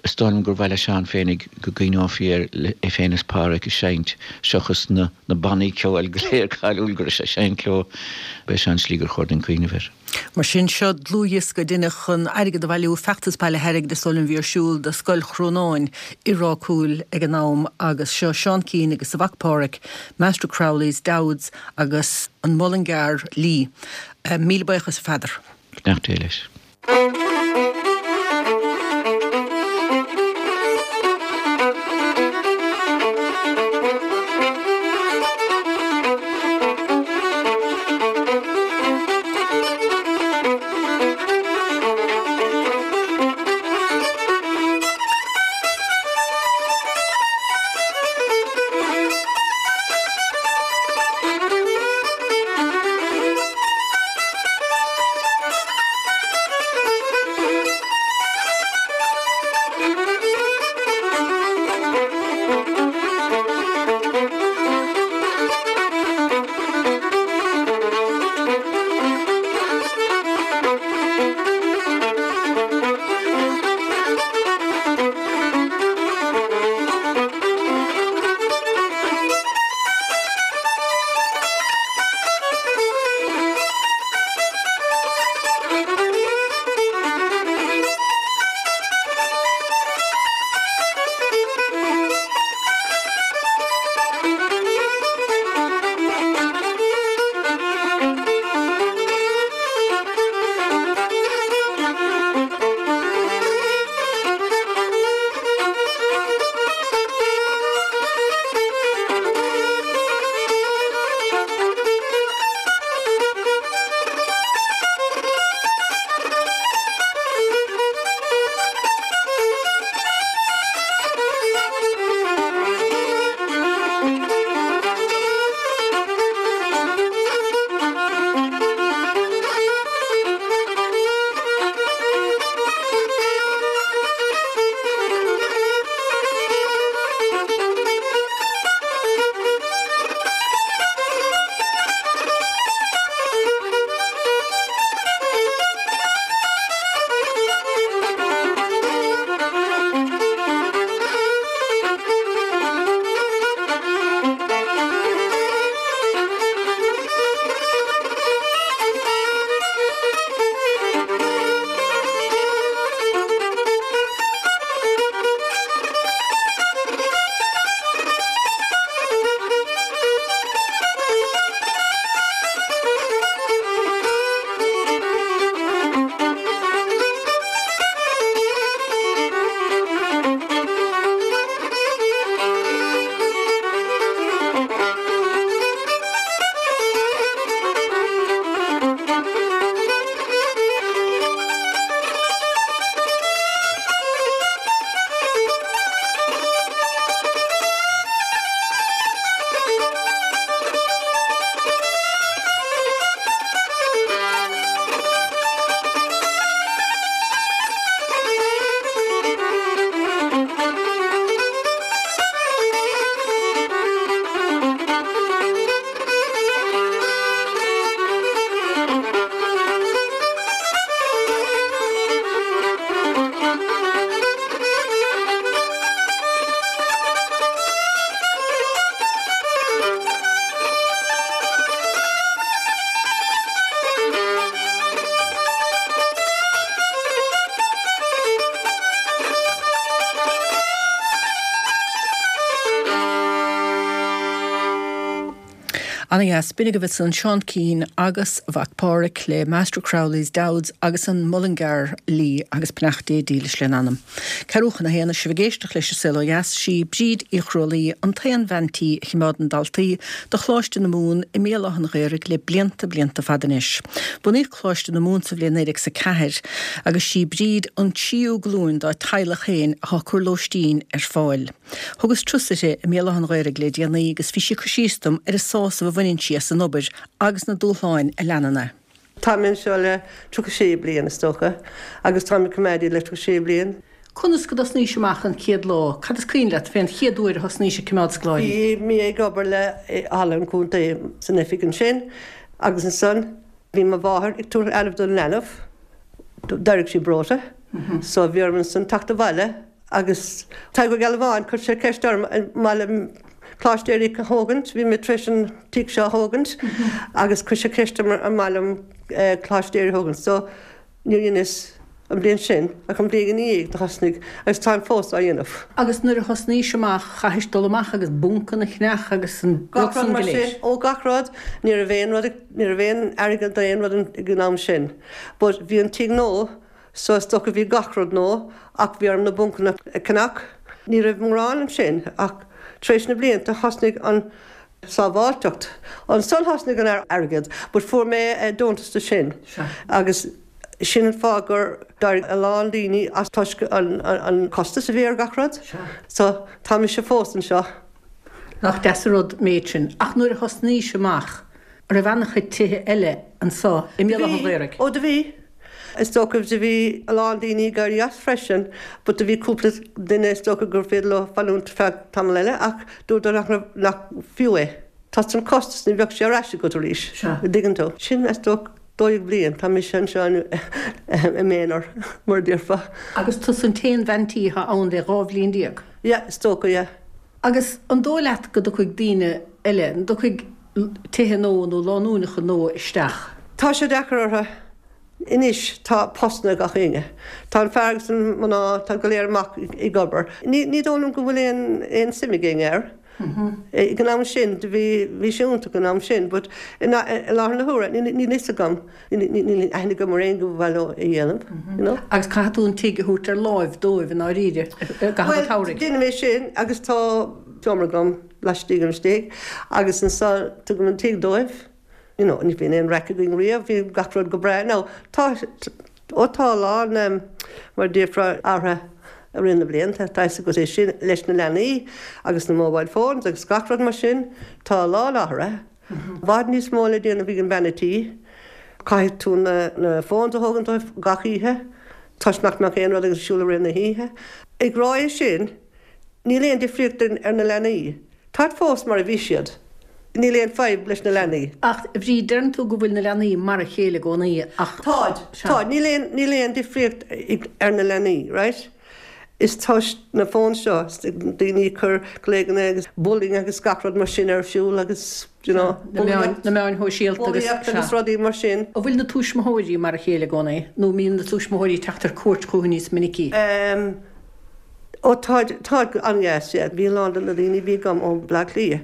Is dóigh liom gur mhaith le Seán féinig go gcuimhneofaí air é féin is Páraic ag seinnt seachas na na bannaí ceoil go léir cáiliúil go raibh sé ag seinnt leo. B'é seo an tslí gur chóir dúinn cuimhneamh air. Mar sin, seo dlúthdhiosca a deineadh chun airgead a bhailiú, feachtas bailithe airgid is dóigh liom a bhí ar siúl do Scoil Chrónáin i Ráth Cúil ag an am agus seo Seán Keane agus a mhac Páraic, Master Crowley's, Dowds agus an Mullingar Lee. Míle buíochas a Pheadair. Beannacht Dé leis. Ana dheas. B'in agaibh ansan Seán Keane agus a mhac Páraic le Master Crowley's Dowds agus an Mullingar Lee agus beannacht Dé dílis lena anam. Ceathrú chun a haon is sibh ag éisteacht leis an Saol Ó Dheas, sí Bríd Uí Chrualaoi an t-aon bhean tí a chimeádann daltaí do Choláiste na Mumhan i mBéal Átha an Ghaorthaidh le blianta blianta fada anois. Bunaíodh Coláiste na Mumhan sa bhliain 1904 agus sí Bríd an tríú glúin dá teaghlach féin atá ag cur lóistín ar fáil. Thugas turas uirthi i mBéal Átha an Ghaorthaidh le déanaí agus bhí sí ag cur síos dom ar an sásamh a bhaineann sí as an obair agus na dúshláin a leanann é. Tá mé anseo le 36 bliain, is dócha, agus táim ag coimeád iad le 36 bliain. Conas go dtosnaís amach an chéad lá? Cad is cuimhin leat fén chéad uair a thosnaís ag coimeád scoláirí? Bhí mé ag obair le Halla an Chontae san oifig ansin agus ansan bhí mo mháthair ag tabhairt leanbh don leanbh, d'éirigh sí breoite, so bhí orm ansan teacht abhaile Agus Tadhg Ó Gealbháin, chuir sé ceist orm an maith liom Coláiste Aerach a thógaint, bhí mé tar éis an tigh seo a thógaint, agus chuir sé ceist orm an maith liom Coláiste Aerach a thógaint. So, níor dheineas an bhliain sin, ach an bhliain ina dhiaidh do thosnaigh, agus táim fós á dhéanamh. Agus nuair a thosnaís amach, chaithis dul amach agus buncanna a cheannach agus an rud san go léir? Ó, gach rud. Ní raibh aon rud, ní raibh aon airgead d'aon rud ag an am sin. But bhí an tigh nua, So is dócha bhí gach rud nua ach bhí orm na buncanna a cheannach. Ní raibh mórán ansin ach tar éis na blianta thosnaigh an sábháilteacht. Ansan thosnaigh an airgead but fuair mé deontas do sin agus sin an fáth gur d'éirigh a lán daoine as toisc an costas a bhí ar gach rud. So tá mise fós anseo. Nach deas an rud méid sin. Ach nuair a thosnaís amach, an raibh ana-chuid tithe eile anso i Do mBéal Átha an bhí. Ghaorthaidh? Ó do bhí. Is dócha do bhí a lán daoine ag éirí as freisin but do bhí cúpla duine is dócha gur féidir leo fanúint feadh tamall eile ach dúradar nach raibh, nach fiú é. Toisc an costas, ní bheadh sé ar ais agat arís, Sea. an dtuigeann tú. Sin is dócha 12 bliain, tá mise anseo i m'aonar, mar a déarfá. Agus tusa an t-aon bhean tí atá ann le 12 bhliain? Yeah, is dócha, yeah. Agus an dóigh leat go dtiocfaidh daoine eile, an dtiocfaidh tithe nua nó lánúineacha nua isteach? Tá sé deacair orthu. Anois tá postanna ag gach éinne. Tá an fear agus an mná, tá go léir amach ag obair. Ní ní dóigh liom go bhfuil aon aon suim ag éinne air. Ag an am sin, do bhí bhí sé iontach an am sin but i láthair na huaire níl níl fhios agam, níl aithne agam ar éinne go mba mhaith leo é a dhéanamh, you know. Agus caithfidh tú an tigh a thabhairt ar láimh dóibh i ndáiríre i gcaitheamh an Bhuel, tsamhraidh. déanaim é sin agus tá seomra agam laistigh istigh agus ansan tugaim an tigh dóibh. You know, ní bhíonn aon raic againn riamh, bhí gach rud go breá. Now, tá, ó tá a lán, em, mar a déarfá, athruithe i rith na blianta, tá fhios agat é sin, leis na leanaí agus na mobile phones agus gach rud mar sin, tá a lán athruithe. I bhfad níos mó le déanamh ag an bhean a' tí. Caithfidh tú na, na phones a thógaint dóibh gach oíche toisc nach mbeadh aon rud ar siúl i rith na hoíche. Ag rá é sin, níl aon difríocht ar na leanaí. Táid fós mar a bhí siad. Níl aon fadhb leis na leanaí. Ach, a Bhríd, deireann tú go bhfuil na leanaí mar a chéile i gcónaí ach. Táid. Táid. Níl aon, níl aon difríocht ar na leanaí, right? Is toisc na phones seo, daoine ag cur glaochanna agus bullying agus gach rud mar sin ar siúl agus, you know, Na meáin, na meáin shóisialta agus, bulaíocht sea. agus rudaí mar sin. An bhfuil na tuismitheoirí mar a chéile i gcónaí nó an mbíonn na tuismitheoirí ag teacht ar cuairt chucu níos minicí? Em. Ó táid, táid an-deas, yeah. Bhí a lán de na daoine a bhí agam ó Bhleá Cliath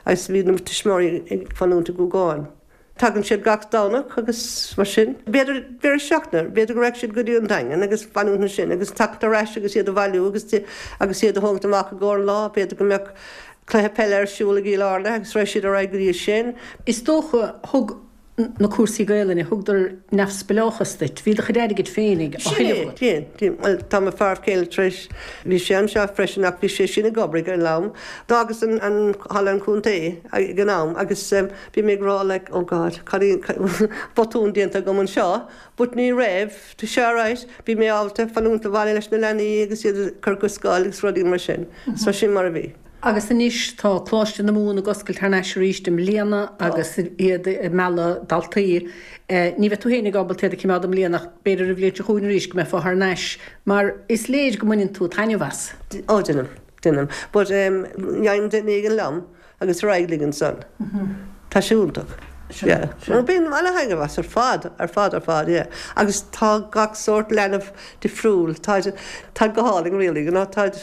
agus bhí na tuismitheoirí ag fanúint i gCúgán. Tagann siad gach Domhnach agus mar sin. B'fhéidir deireadh seachtaine, b'fhéidir go raghadh siad go dtí an Daingean agus fanúint ansin agus teacht ar ais agus iad a bhailiú agus agus iad a thógaint amach i gcomhair an lá. B'fhéidir go mbeadh cluiche peile ar siúl i gCill Airne agus raghadh siad ar aghaidh go dtí sin. Is dócha, thug na cúrsaí Gaelainne, thugadar neamhspleáchas duit. Bhí do chuid airgid féinig á Sin thuilleamh é, agat. sin, sin. Bhuel, tá mo fear céile tar éis, bhí sé anseo freisin ach bhí sé sin ag obair ag an am. D'fhágas an, an, halla an chontae ag an am agus bhí mé ag rá like, oh God, cad é, botún déanta agam anseo, but ní raibh, tá sé alright, bhí mé ábalta fanúint sa bhaile leis na leanaí agus iad a chur go scoil agus rudaí mar sin. So sin mar a bhí. Agus anois tá Coláiste na Mumhan ag oscailt thar n-ais arís i mbliana agus iad ag mealladh daltaí. Ní bheidh tú féinig ábalta iad a chimeád i mbliana ach b'fhéidir an bhliain seo chugainn arís go mbeifeá thar n-ais mar is léir go mbaineann tú taitneamh as. Ó déanaim, déanaim. But gheibhim duine éigin liom agus ar aghaidh linn ansan. Tá sé iontach. Yeah. Bíonn ana-thaitneamh as ar fad, ar fad, ar fad, yeah. Agus tá gach sórt leanbh difriúil, táid, táid go hálainn really, you know, táid.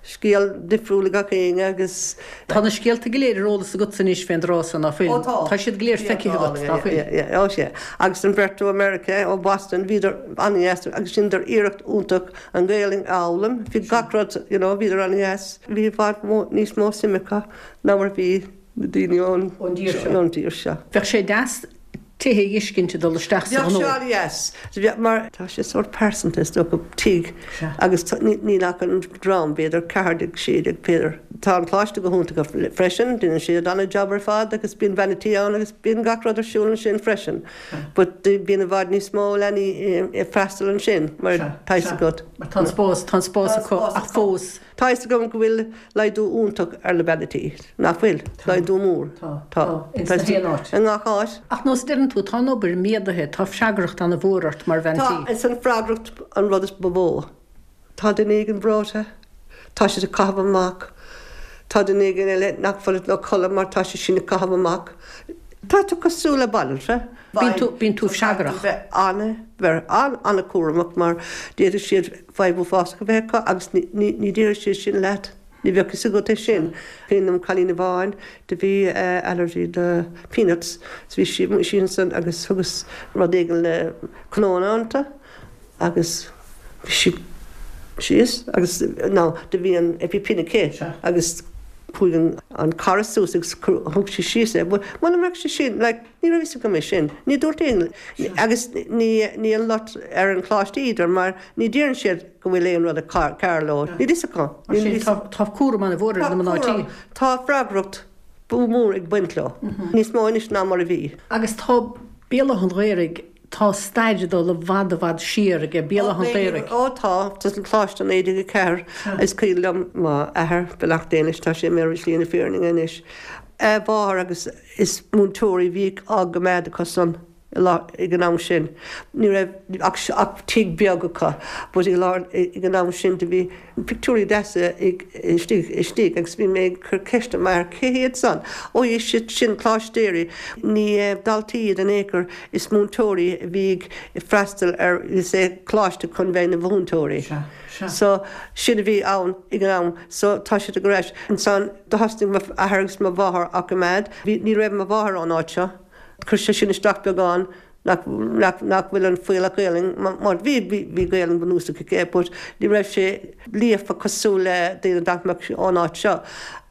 Scéal difriúil ag gach éinne agus. Tá na scéalta go léir ar eolas agatsa anois fén dtráth so, ná fuil? Ó tá. Tá siad go léir feicthe agat, ná fuil? Yeah, yeah, ó sea. Agus an bheirt ó America, ó Boston, bhíodar an-dheas agus dheineadar iarracht iontach an Ghaelainn a fhoghlaim. Bhí gach rud, you know, bhíodar an-dheas. Bhí i bhfad níos mó suim acu ná mar a bhí na daoine ón dtír seo. Bheadh sé deas tithe a fheiscint ag dul isteach sa ghnó. Bheadh sé an-dheas, mar tá sé sórt pearsanta is dócha, tigh agus níl ach an dream, b'fhéidir 14, 16 b'fhéidir. Tá an coláiste go hiontach freisin, déanann siad an-jab ar fad agus bíonn bean a' tí ann agus bíonn gach rud ar siúl ansin freisin. But bíonn i bhfad níos mó leanaí ag freastal ansin mar tá fhios agat. Mar tá an spás, tá an spás acu ach fós. Tá fhios agam go bhfuil laghdú iontach ar na bean tí, nach bhfuil? Laghdú mór. Tá. Tá. Ins na haon áit. I ngach áit. Ach nós a deireann tú, tá an obair méadaithe, tá freagracht ana mhór ort mar bhean tí. Tá, is an freagracht an rud is ba mhó. Tá duine éigin breoite, tá siad ag caitheamh amach, tá duine éigin eile nach bhfuil ag codladh mar tá sé sin ag caitheamh amach. Tá tú cosúil le banaltra. Bíonn tú, bíonn tú freagrach. Bheith ana, bheith an-an-chúramach mar d'fhéadfadh siad fadhb uafásach a bheith acu agus ní déarfaidh siad sin leat, ní bheadh fhios agat é sin. Cuimhin liom cailín amháin do bhí allergy do peanuts so bhí sí sí ansan agus thugas rud éigin le cnónna iontu agus bhí sí síos agus now do bhí an EpiPen aici agus chuaigh an cara suas agus thug sí síos é but muna mbeadh sé sin like Ní raibh fhios agam é sin. Ní dúirt aon agus ní ní an locht ar an choláiste either mar ní deireann siad go bhfuil aon rud cearr leo. Níl fhios acu. Mar sin tá tá cúram an-mhór ar na mná tí. Tá freagracht mhór ag baint leo. Níos mó anois ná mar a bhí. Agus tá Béal Átha an Ghaorthaidh, tá stair ag dul i bhfad i bhfad siar aige Béal Átha an Ghaorthaidh. Ó tá, tá an coláiste 1904. Is cuimhin liom m'athair, beannacht Dé leis, tá sé imithe ar shlí na fírinne anois, a mháthair agus Is múinteoirí a bhíodh á gcoimeád acu san ag an am sin. Ní raibh ach ach tigh beag acu but i lár ag an am sin do bhí pictiúirí deasa istigh istigh agus bhí mé ag cur ceist ar m'athair cé hiad san? Ó is iad sin coláistéirí, ní daltaí iad in aon chor is múinteoirí a bhí ag freastal ar is é coláiste chun bheith ina mhúinteoirí. So sin a bhí ann ag an am so tá siad ar ais ansan. Do thosnaigh m'athair agus mo mháthair á gcoimeád. Bhí, ní raibh mo mháthair ón áit seo. Chuir sé sin isteach beagán nach, nach, nach bhfuil an fuíollach Gaelainn, mar bhí, bhí, bhí Gaelainn bunúsach aici but ní raibh sé líofa cosúil le daoine nach mbeadh ón áit seo.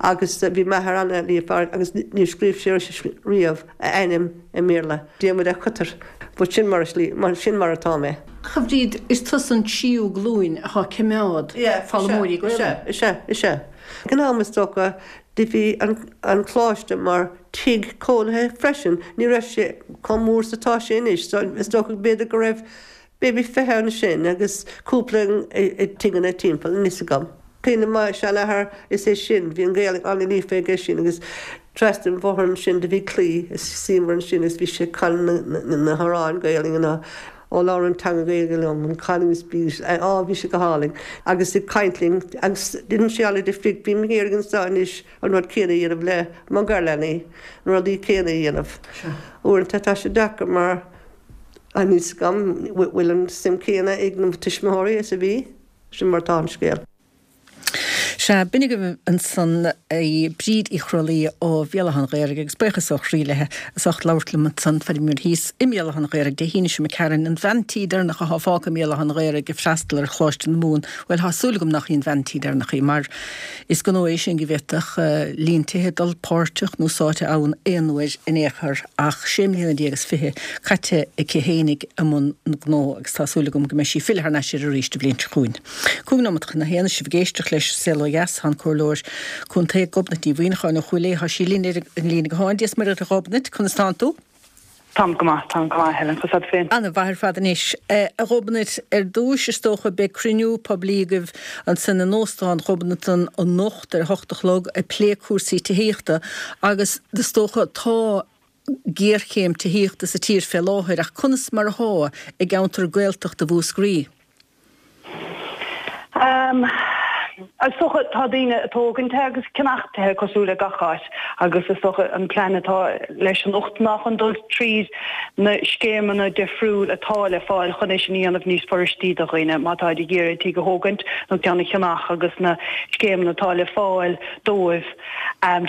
Agus bhí m'athair ana-líofa agus níor scríobh sé riamh a ainm i mBéarla, Diarmuid Ó Coitir. But sin mar a slí, mar, sin mar atá mé. Ach a Bhríd, is tusa an tríú glúin atá ag coimeád foghlaimeoirí Gaelainne. Is ea, is ea, is ea. Ag an am is dócha do bhí an coláiste mar tigh cónaithe freisin, ní raibh sé chomh mór is atá sé anois so is dócha b'fhéidir go raibh maybe 20 ansin agus cúpla i dtigeanna timpeall, níl fhios agam. Cuimhin liom mo sheanathair, is é sin, bhí an Ghaeilge an-líofa aige sin agus trasna an bhóthair ansin do bhí claí is suíomar ansin agus bhí sé ag canadh na hamhráin Gaelainne na Ó labhair an teanga Gaeilge liom, an canúint bís, á bhí sé go hálainn agus ag caint linn agus deineann sé an-difríocht, bím ag iarraidh anseo anois an rud céanna a dhéanamh le mo gharleanaí, na rudaí céanna a dhéanamh. Uaireanta tá sé deacair mar níl fhios agam bhfuil an suim céanna ag na tuismitheoirí is a bhí, sin mar atá an scéal. Sea, b'in agaibh ansan í Bríd Uí Chroithlí ó Bhéal Átha an Ghaorthaidh agus buíochas ó chroí léi as ucht labhairt liom ansan fá dtaobh thíos i mBéal Átha an Ghaorthaidh Dé hAoine seo imigh tharainn, an bhean tí deireanach athá fágtha i mBéal Átha an Ghaorthaidh ag freastal ar Choláiste na Mumhan. Bhuel, thá súil agam nach í an bhean tí deireanach í mar is gnó é sin go bhféadfadh líon tithe dul páirteach nó sáite ann aon uair in aon chor ach sé mbliana déag is fiche caite aici fhéinig i mbun an ghnó agus tá súil agam go mbeidh sí ag filleadh thar n-ais air arís an bhliain seo chugainn. 5 nóimeat chun a haon, is sibh ag éisteacht leis An Saol Ó Dheas. Tá an Comhairleoir Contae Gobnait Ní Mhuineacháin ó Chúil Aodha, tá sí linn ar an líne gutháin. Dia is Muire dhuit a Ghobnait, conas tánn tú? Táim go maith, táim go maith, Helen, conas tá tú féin? Ana mhaith ar fad anois. A Ghobnait, ar dtúis is dócha beidh cruinniú poiblí agaibh ansin in Óstán Ghobnatan anocht ar a hocht a chlog ag plé cúrsaí tithíochta agus is dócha tá géarchéim tithíochta sa tír fé láthair ach conas mar athá i gceantar Gaeltachta Mhúscraí? Um. Is dócha tá daoine ag tógaint tithe agus ceannach tithe cosúil le gach áit agus is dócha an plean atá leis anocht ná chun dul tríd na scéimeanna difriúil atá le fáil chun é sin a dhéanamh níos furaistí do dhaoine má táid ag iarraidh tigh a thógaint nó ceann a cheannach agus na scéimeanna atá le fáil dóibh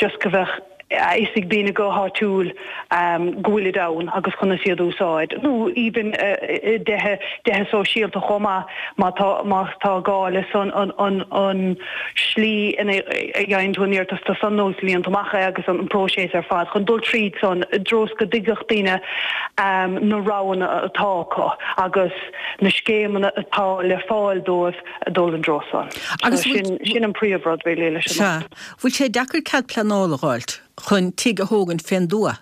just go bheadh a fhios ag daoine go háitiúil go bhfuilid ann agus conas iad a úsáid, nó even i dtithe, tithe sóisialta chomh maith má tá, má tá gá le san an, an, an slí ina dhéanann tú an iarratas do san nó is líonann tú amach é agus an próiseas ar fad chun dul tríd san i dtreo is go dtuigfeadh daoine na roghanna atá acu agus na scéimeanna atá le fáil dóibh a dul i dtreo san. Agus So sin, sin an príomhrud really leis an Sea. Bhfuil sé deacair cead pleanála a dh'fháilt chun tigh a thógaint fén dtuath?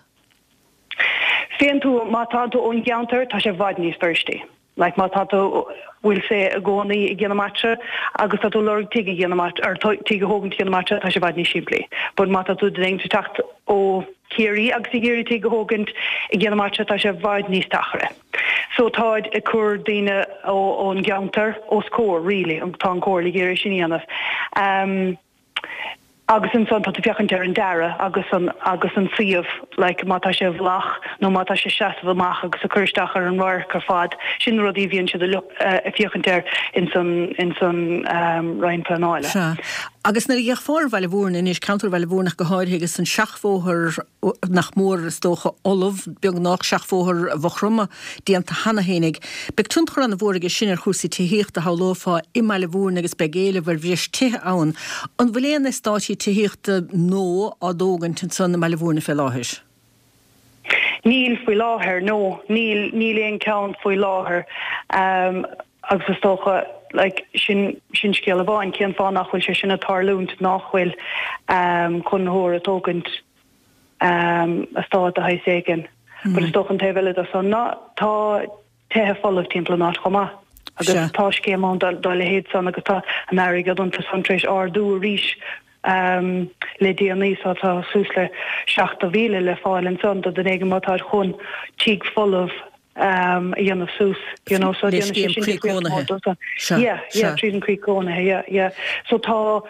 Fén tuath, má tá tú ón gceantar, tá sé i bhfad níos furaistí. Like má tá tú, we'll say, i gcónaí i gCionn na Martra agus tá tú ag lorg tigh i gCionn na Martra, or tigh a thógaint i gCionn na Martra, tá sé i bhfad níos simplí. But má tá tú ag teacht ó Chiarraí agus ag iarraidh tigh a thógaint i gCionn na Martra, tá sé i bhfad níos deacaire. So táid ag cur daoine ón gceantar os comhair really, tá an Comhairle ag iarraidh sin a dhéanamh. Agus ansan tá tú féachaint ar an dearadh agus an agus an suíomh like má tá sé i bhfolach nó má tá sé seasamh amach agus ag cur isteach ar an radharc ar fad, sin na rudaí a bhíonn siad ag féachaint air ins an ins an Roinn Pleanála. Sea. Agus nuair a d'fhéachfá ar Bhaile Mhúirne anois, ceantar Bhaile Mhúirne ach go háirithe agus an seachbhóthar nach mór, is dócha, ullamh, beagnach, seachbhóthar Mhaigh Chromtha déanta cheana fhéinig. Beidh tionchar an-mhór aige sin ar chúrsaí tithíochta, shamhlófá, i mBaile Mhúirne agus beidh éileamh ar bhreis tithe ann. An bhfuil aon eastáití tithíochta nua á dtógaint ansan i mBaile Mhúirne fé láthair? Níl faoi láthair, no. Níl, níl aon ceann faoi láthair. Agus is dócha, like, sin, sin scéal amháin, cén fáth nach bhfuil sé sin ag tarlúint, nach bhfuil conraitheoir ag tógaint eastát de shaghas éigin. But is dócha an taobh eile de san ná tá tithe folamh timpeall an áit chomh maith. Agus tá scéim ann dá leithéid san agus tá an airgead iontu san tar éis ardú arís le déanaí so tá suas le 70,000 le fáil ansan do duine éigin má táid chun tigh folamh a dhéanamh suas, you know, so Le scéim croí cónaithe. Sea, yeah, yeah, tríd an croí cónaithe, yeah, yeah. So tá,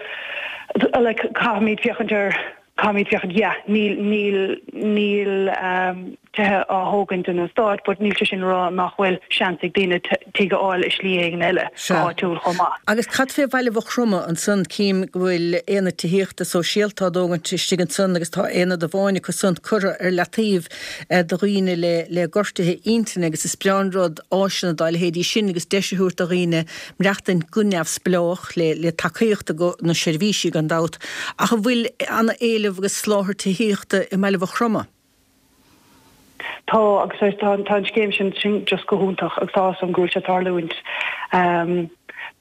like, caithfimid féachaint ar, caithfimid féachaint, yeah, níl, níl, níl tithe á thógaint in eastát, but níl sé sin a rá nach bhfuil seans ag daoine tigh a fháil i slí éigin eile, go háitiúil chomh maith. Agus cad fé Bhaile Mhaigh Chromtha ansan? Cím go bhfuil aonad tithíochta sóisialta á dtógaint istigh ansan agus tá aonad amháin acu san curtha ar leataobh do dhaoine le gortuithe intinne agus is breá an rud áiseanna dá leithéidí sin agus deis a thabhairt do dhaoine maireachtaint go neamhspleách le tacaíocht ó na seirbhísí gan dabht. Ach an bhfuil ana-éileamh agus soláthar tithíochta i mBaile Mhaigh Chromtha? Tá agus tá an scéim sin sin just go hiontach agus tá áthas orm go bhfuil sé ag tarlúint.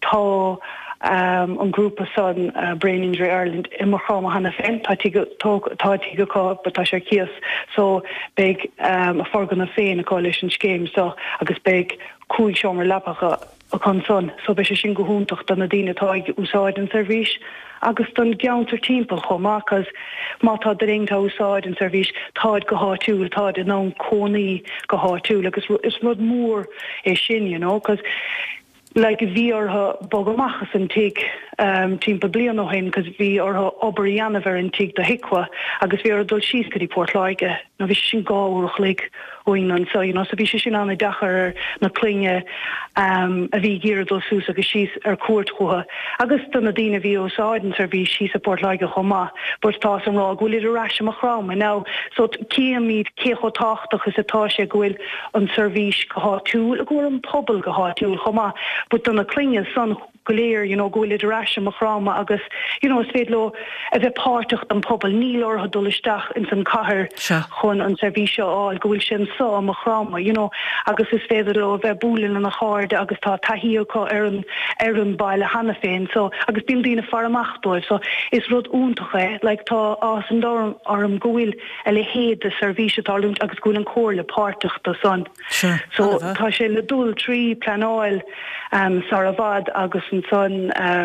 Tá an grúpa san, Brain Injury Ireland, i Maigh Chromtha cheana féin. Tá tigh, tá tigh acu but tá sé ar cíos so beidh a foirgneamh féin acu leis an scéim so agus beidh 5 seomra leapa acu ansan so beidh sé sin go hiontach do na daoine atá ag úsáid an seirbhís agus don gceantar timpeall chomh maith cause má tá duine éigin ag úsáid an seirbhís táid go háitiúil, táid in ann cónaí go háitiúil agus is rud mór é sin you know cause like bhí orthu bogadh amach as an tigh timpeall bliain ó shin cos bhí orthu obair a dhéanamh ar an tigh do HIQA agus bhí orthu dul síos go dtí Port Láirge. Now bhí sé sin 2 uair a chloig uainn anseo you know so bhí sé sin an-deacair ar na clainne a bhí ag iarraidh dul suas agus síos ar cuairt chucu agus do na daoine a bhí ag úsáid an seirbhís síos i Port Láirge chomh maith but tá áthas orm rá go bhfuilid ar ais i Maigh Chromtha now so címid cé chomh tábhachtach is atá sé go bhfuil an seirbhís go háitiúil, go bhfuil an pobal go háitiúil chomh maith, but do na clainne san go léir, you know, go bhfuilid ar ais i Maigh Chromtha agus, you know, is féidir leo a bheith páirteach den pobal, níl orthu dul isteach ins an cathair chun an seirbhís seo a fháil, go bhfuil sé anso i Maigh Chromtha, you know, agus is féidir leo a bheith bualadh lena chairde agus tá taithí acu ar an, ar an baile cheana féin, so, agus bíonn daoine ag faire amach dóibh, so is rud iontach é, like tá áthas an domhain orm go bhfuil a leithéid de seirbhís ag tarlúint agus go bhfuil an Comhairle páirteach de san. So tá sé le dul trí pleanáil sar i bhfad agus ansan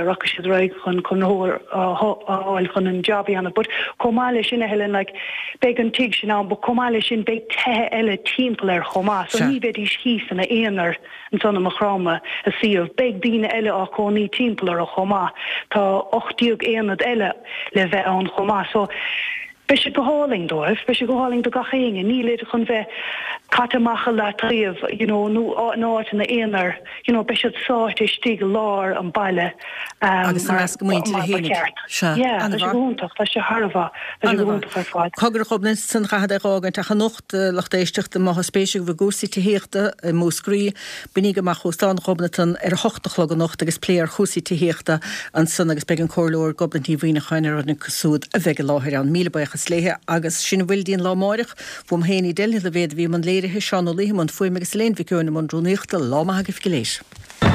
rachaidh siad ar aghaidh chun conraitheoir a fháil chun an job a dhéanamh. But chomh maith leis sin a Helen, like beidh an tigh sin ann but chomh maith leis sin beidh tithe eile timpeall air chomh maith. So ní bheidís thíos ina aonar ansan i Maigh Chromtha i suíomh. Beidh daoine eile. eile á cónaí timpeall orthu chomh maith. Tá 18 aonad eile le bheith ann chomh maith. So, beidh sé go hálainn dóibh, beidh sé go hálainn do gach éinne. Nílid chun bheith caite amach i leataobh, you know, nó in áiteanna aonair, you know, beidh siad sáite istigh i lár an baile Agus i measc a muintire mar ba fhéinig. cheart. Sea, Yeah, tá sé an-mhaith. go hiontach, tá sé thar a mhaith, tá sé go hiontach ar fad. Cogar a Ghobnait, san chaithfead é dh'fhágaint ach anocht, lucht éisteachta, má thá spéis agaibh i gcúrsaí tithíochta i Múscraí, Bainigí amach Óstán Ghobnatan ar a hocht a chlog anocht agus plé ar chúrsaí tithíochta ansan agus beidh an Comhairleoir Gobnait Ní Mhuimhneacháin ar dhuine acu súd a bheidh i láthair ann. Míle buíochas léithe agus sin a bhfuil dínn lá amáireach. Uaim féin Edel Ní Loibhéad a bhí i mbun léirithe, Seán Ó Laoithe i mbun fuaime agus Elaine Mhic Eoin i mbun rúnaíochta. Lá maith agaibh go léir.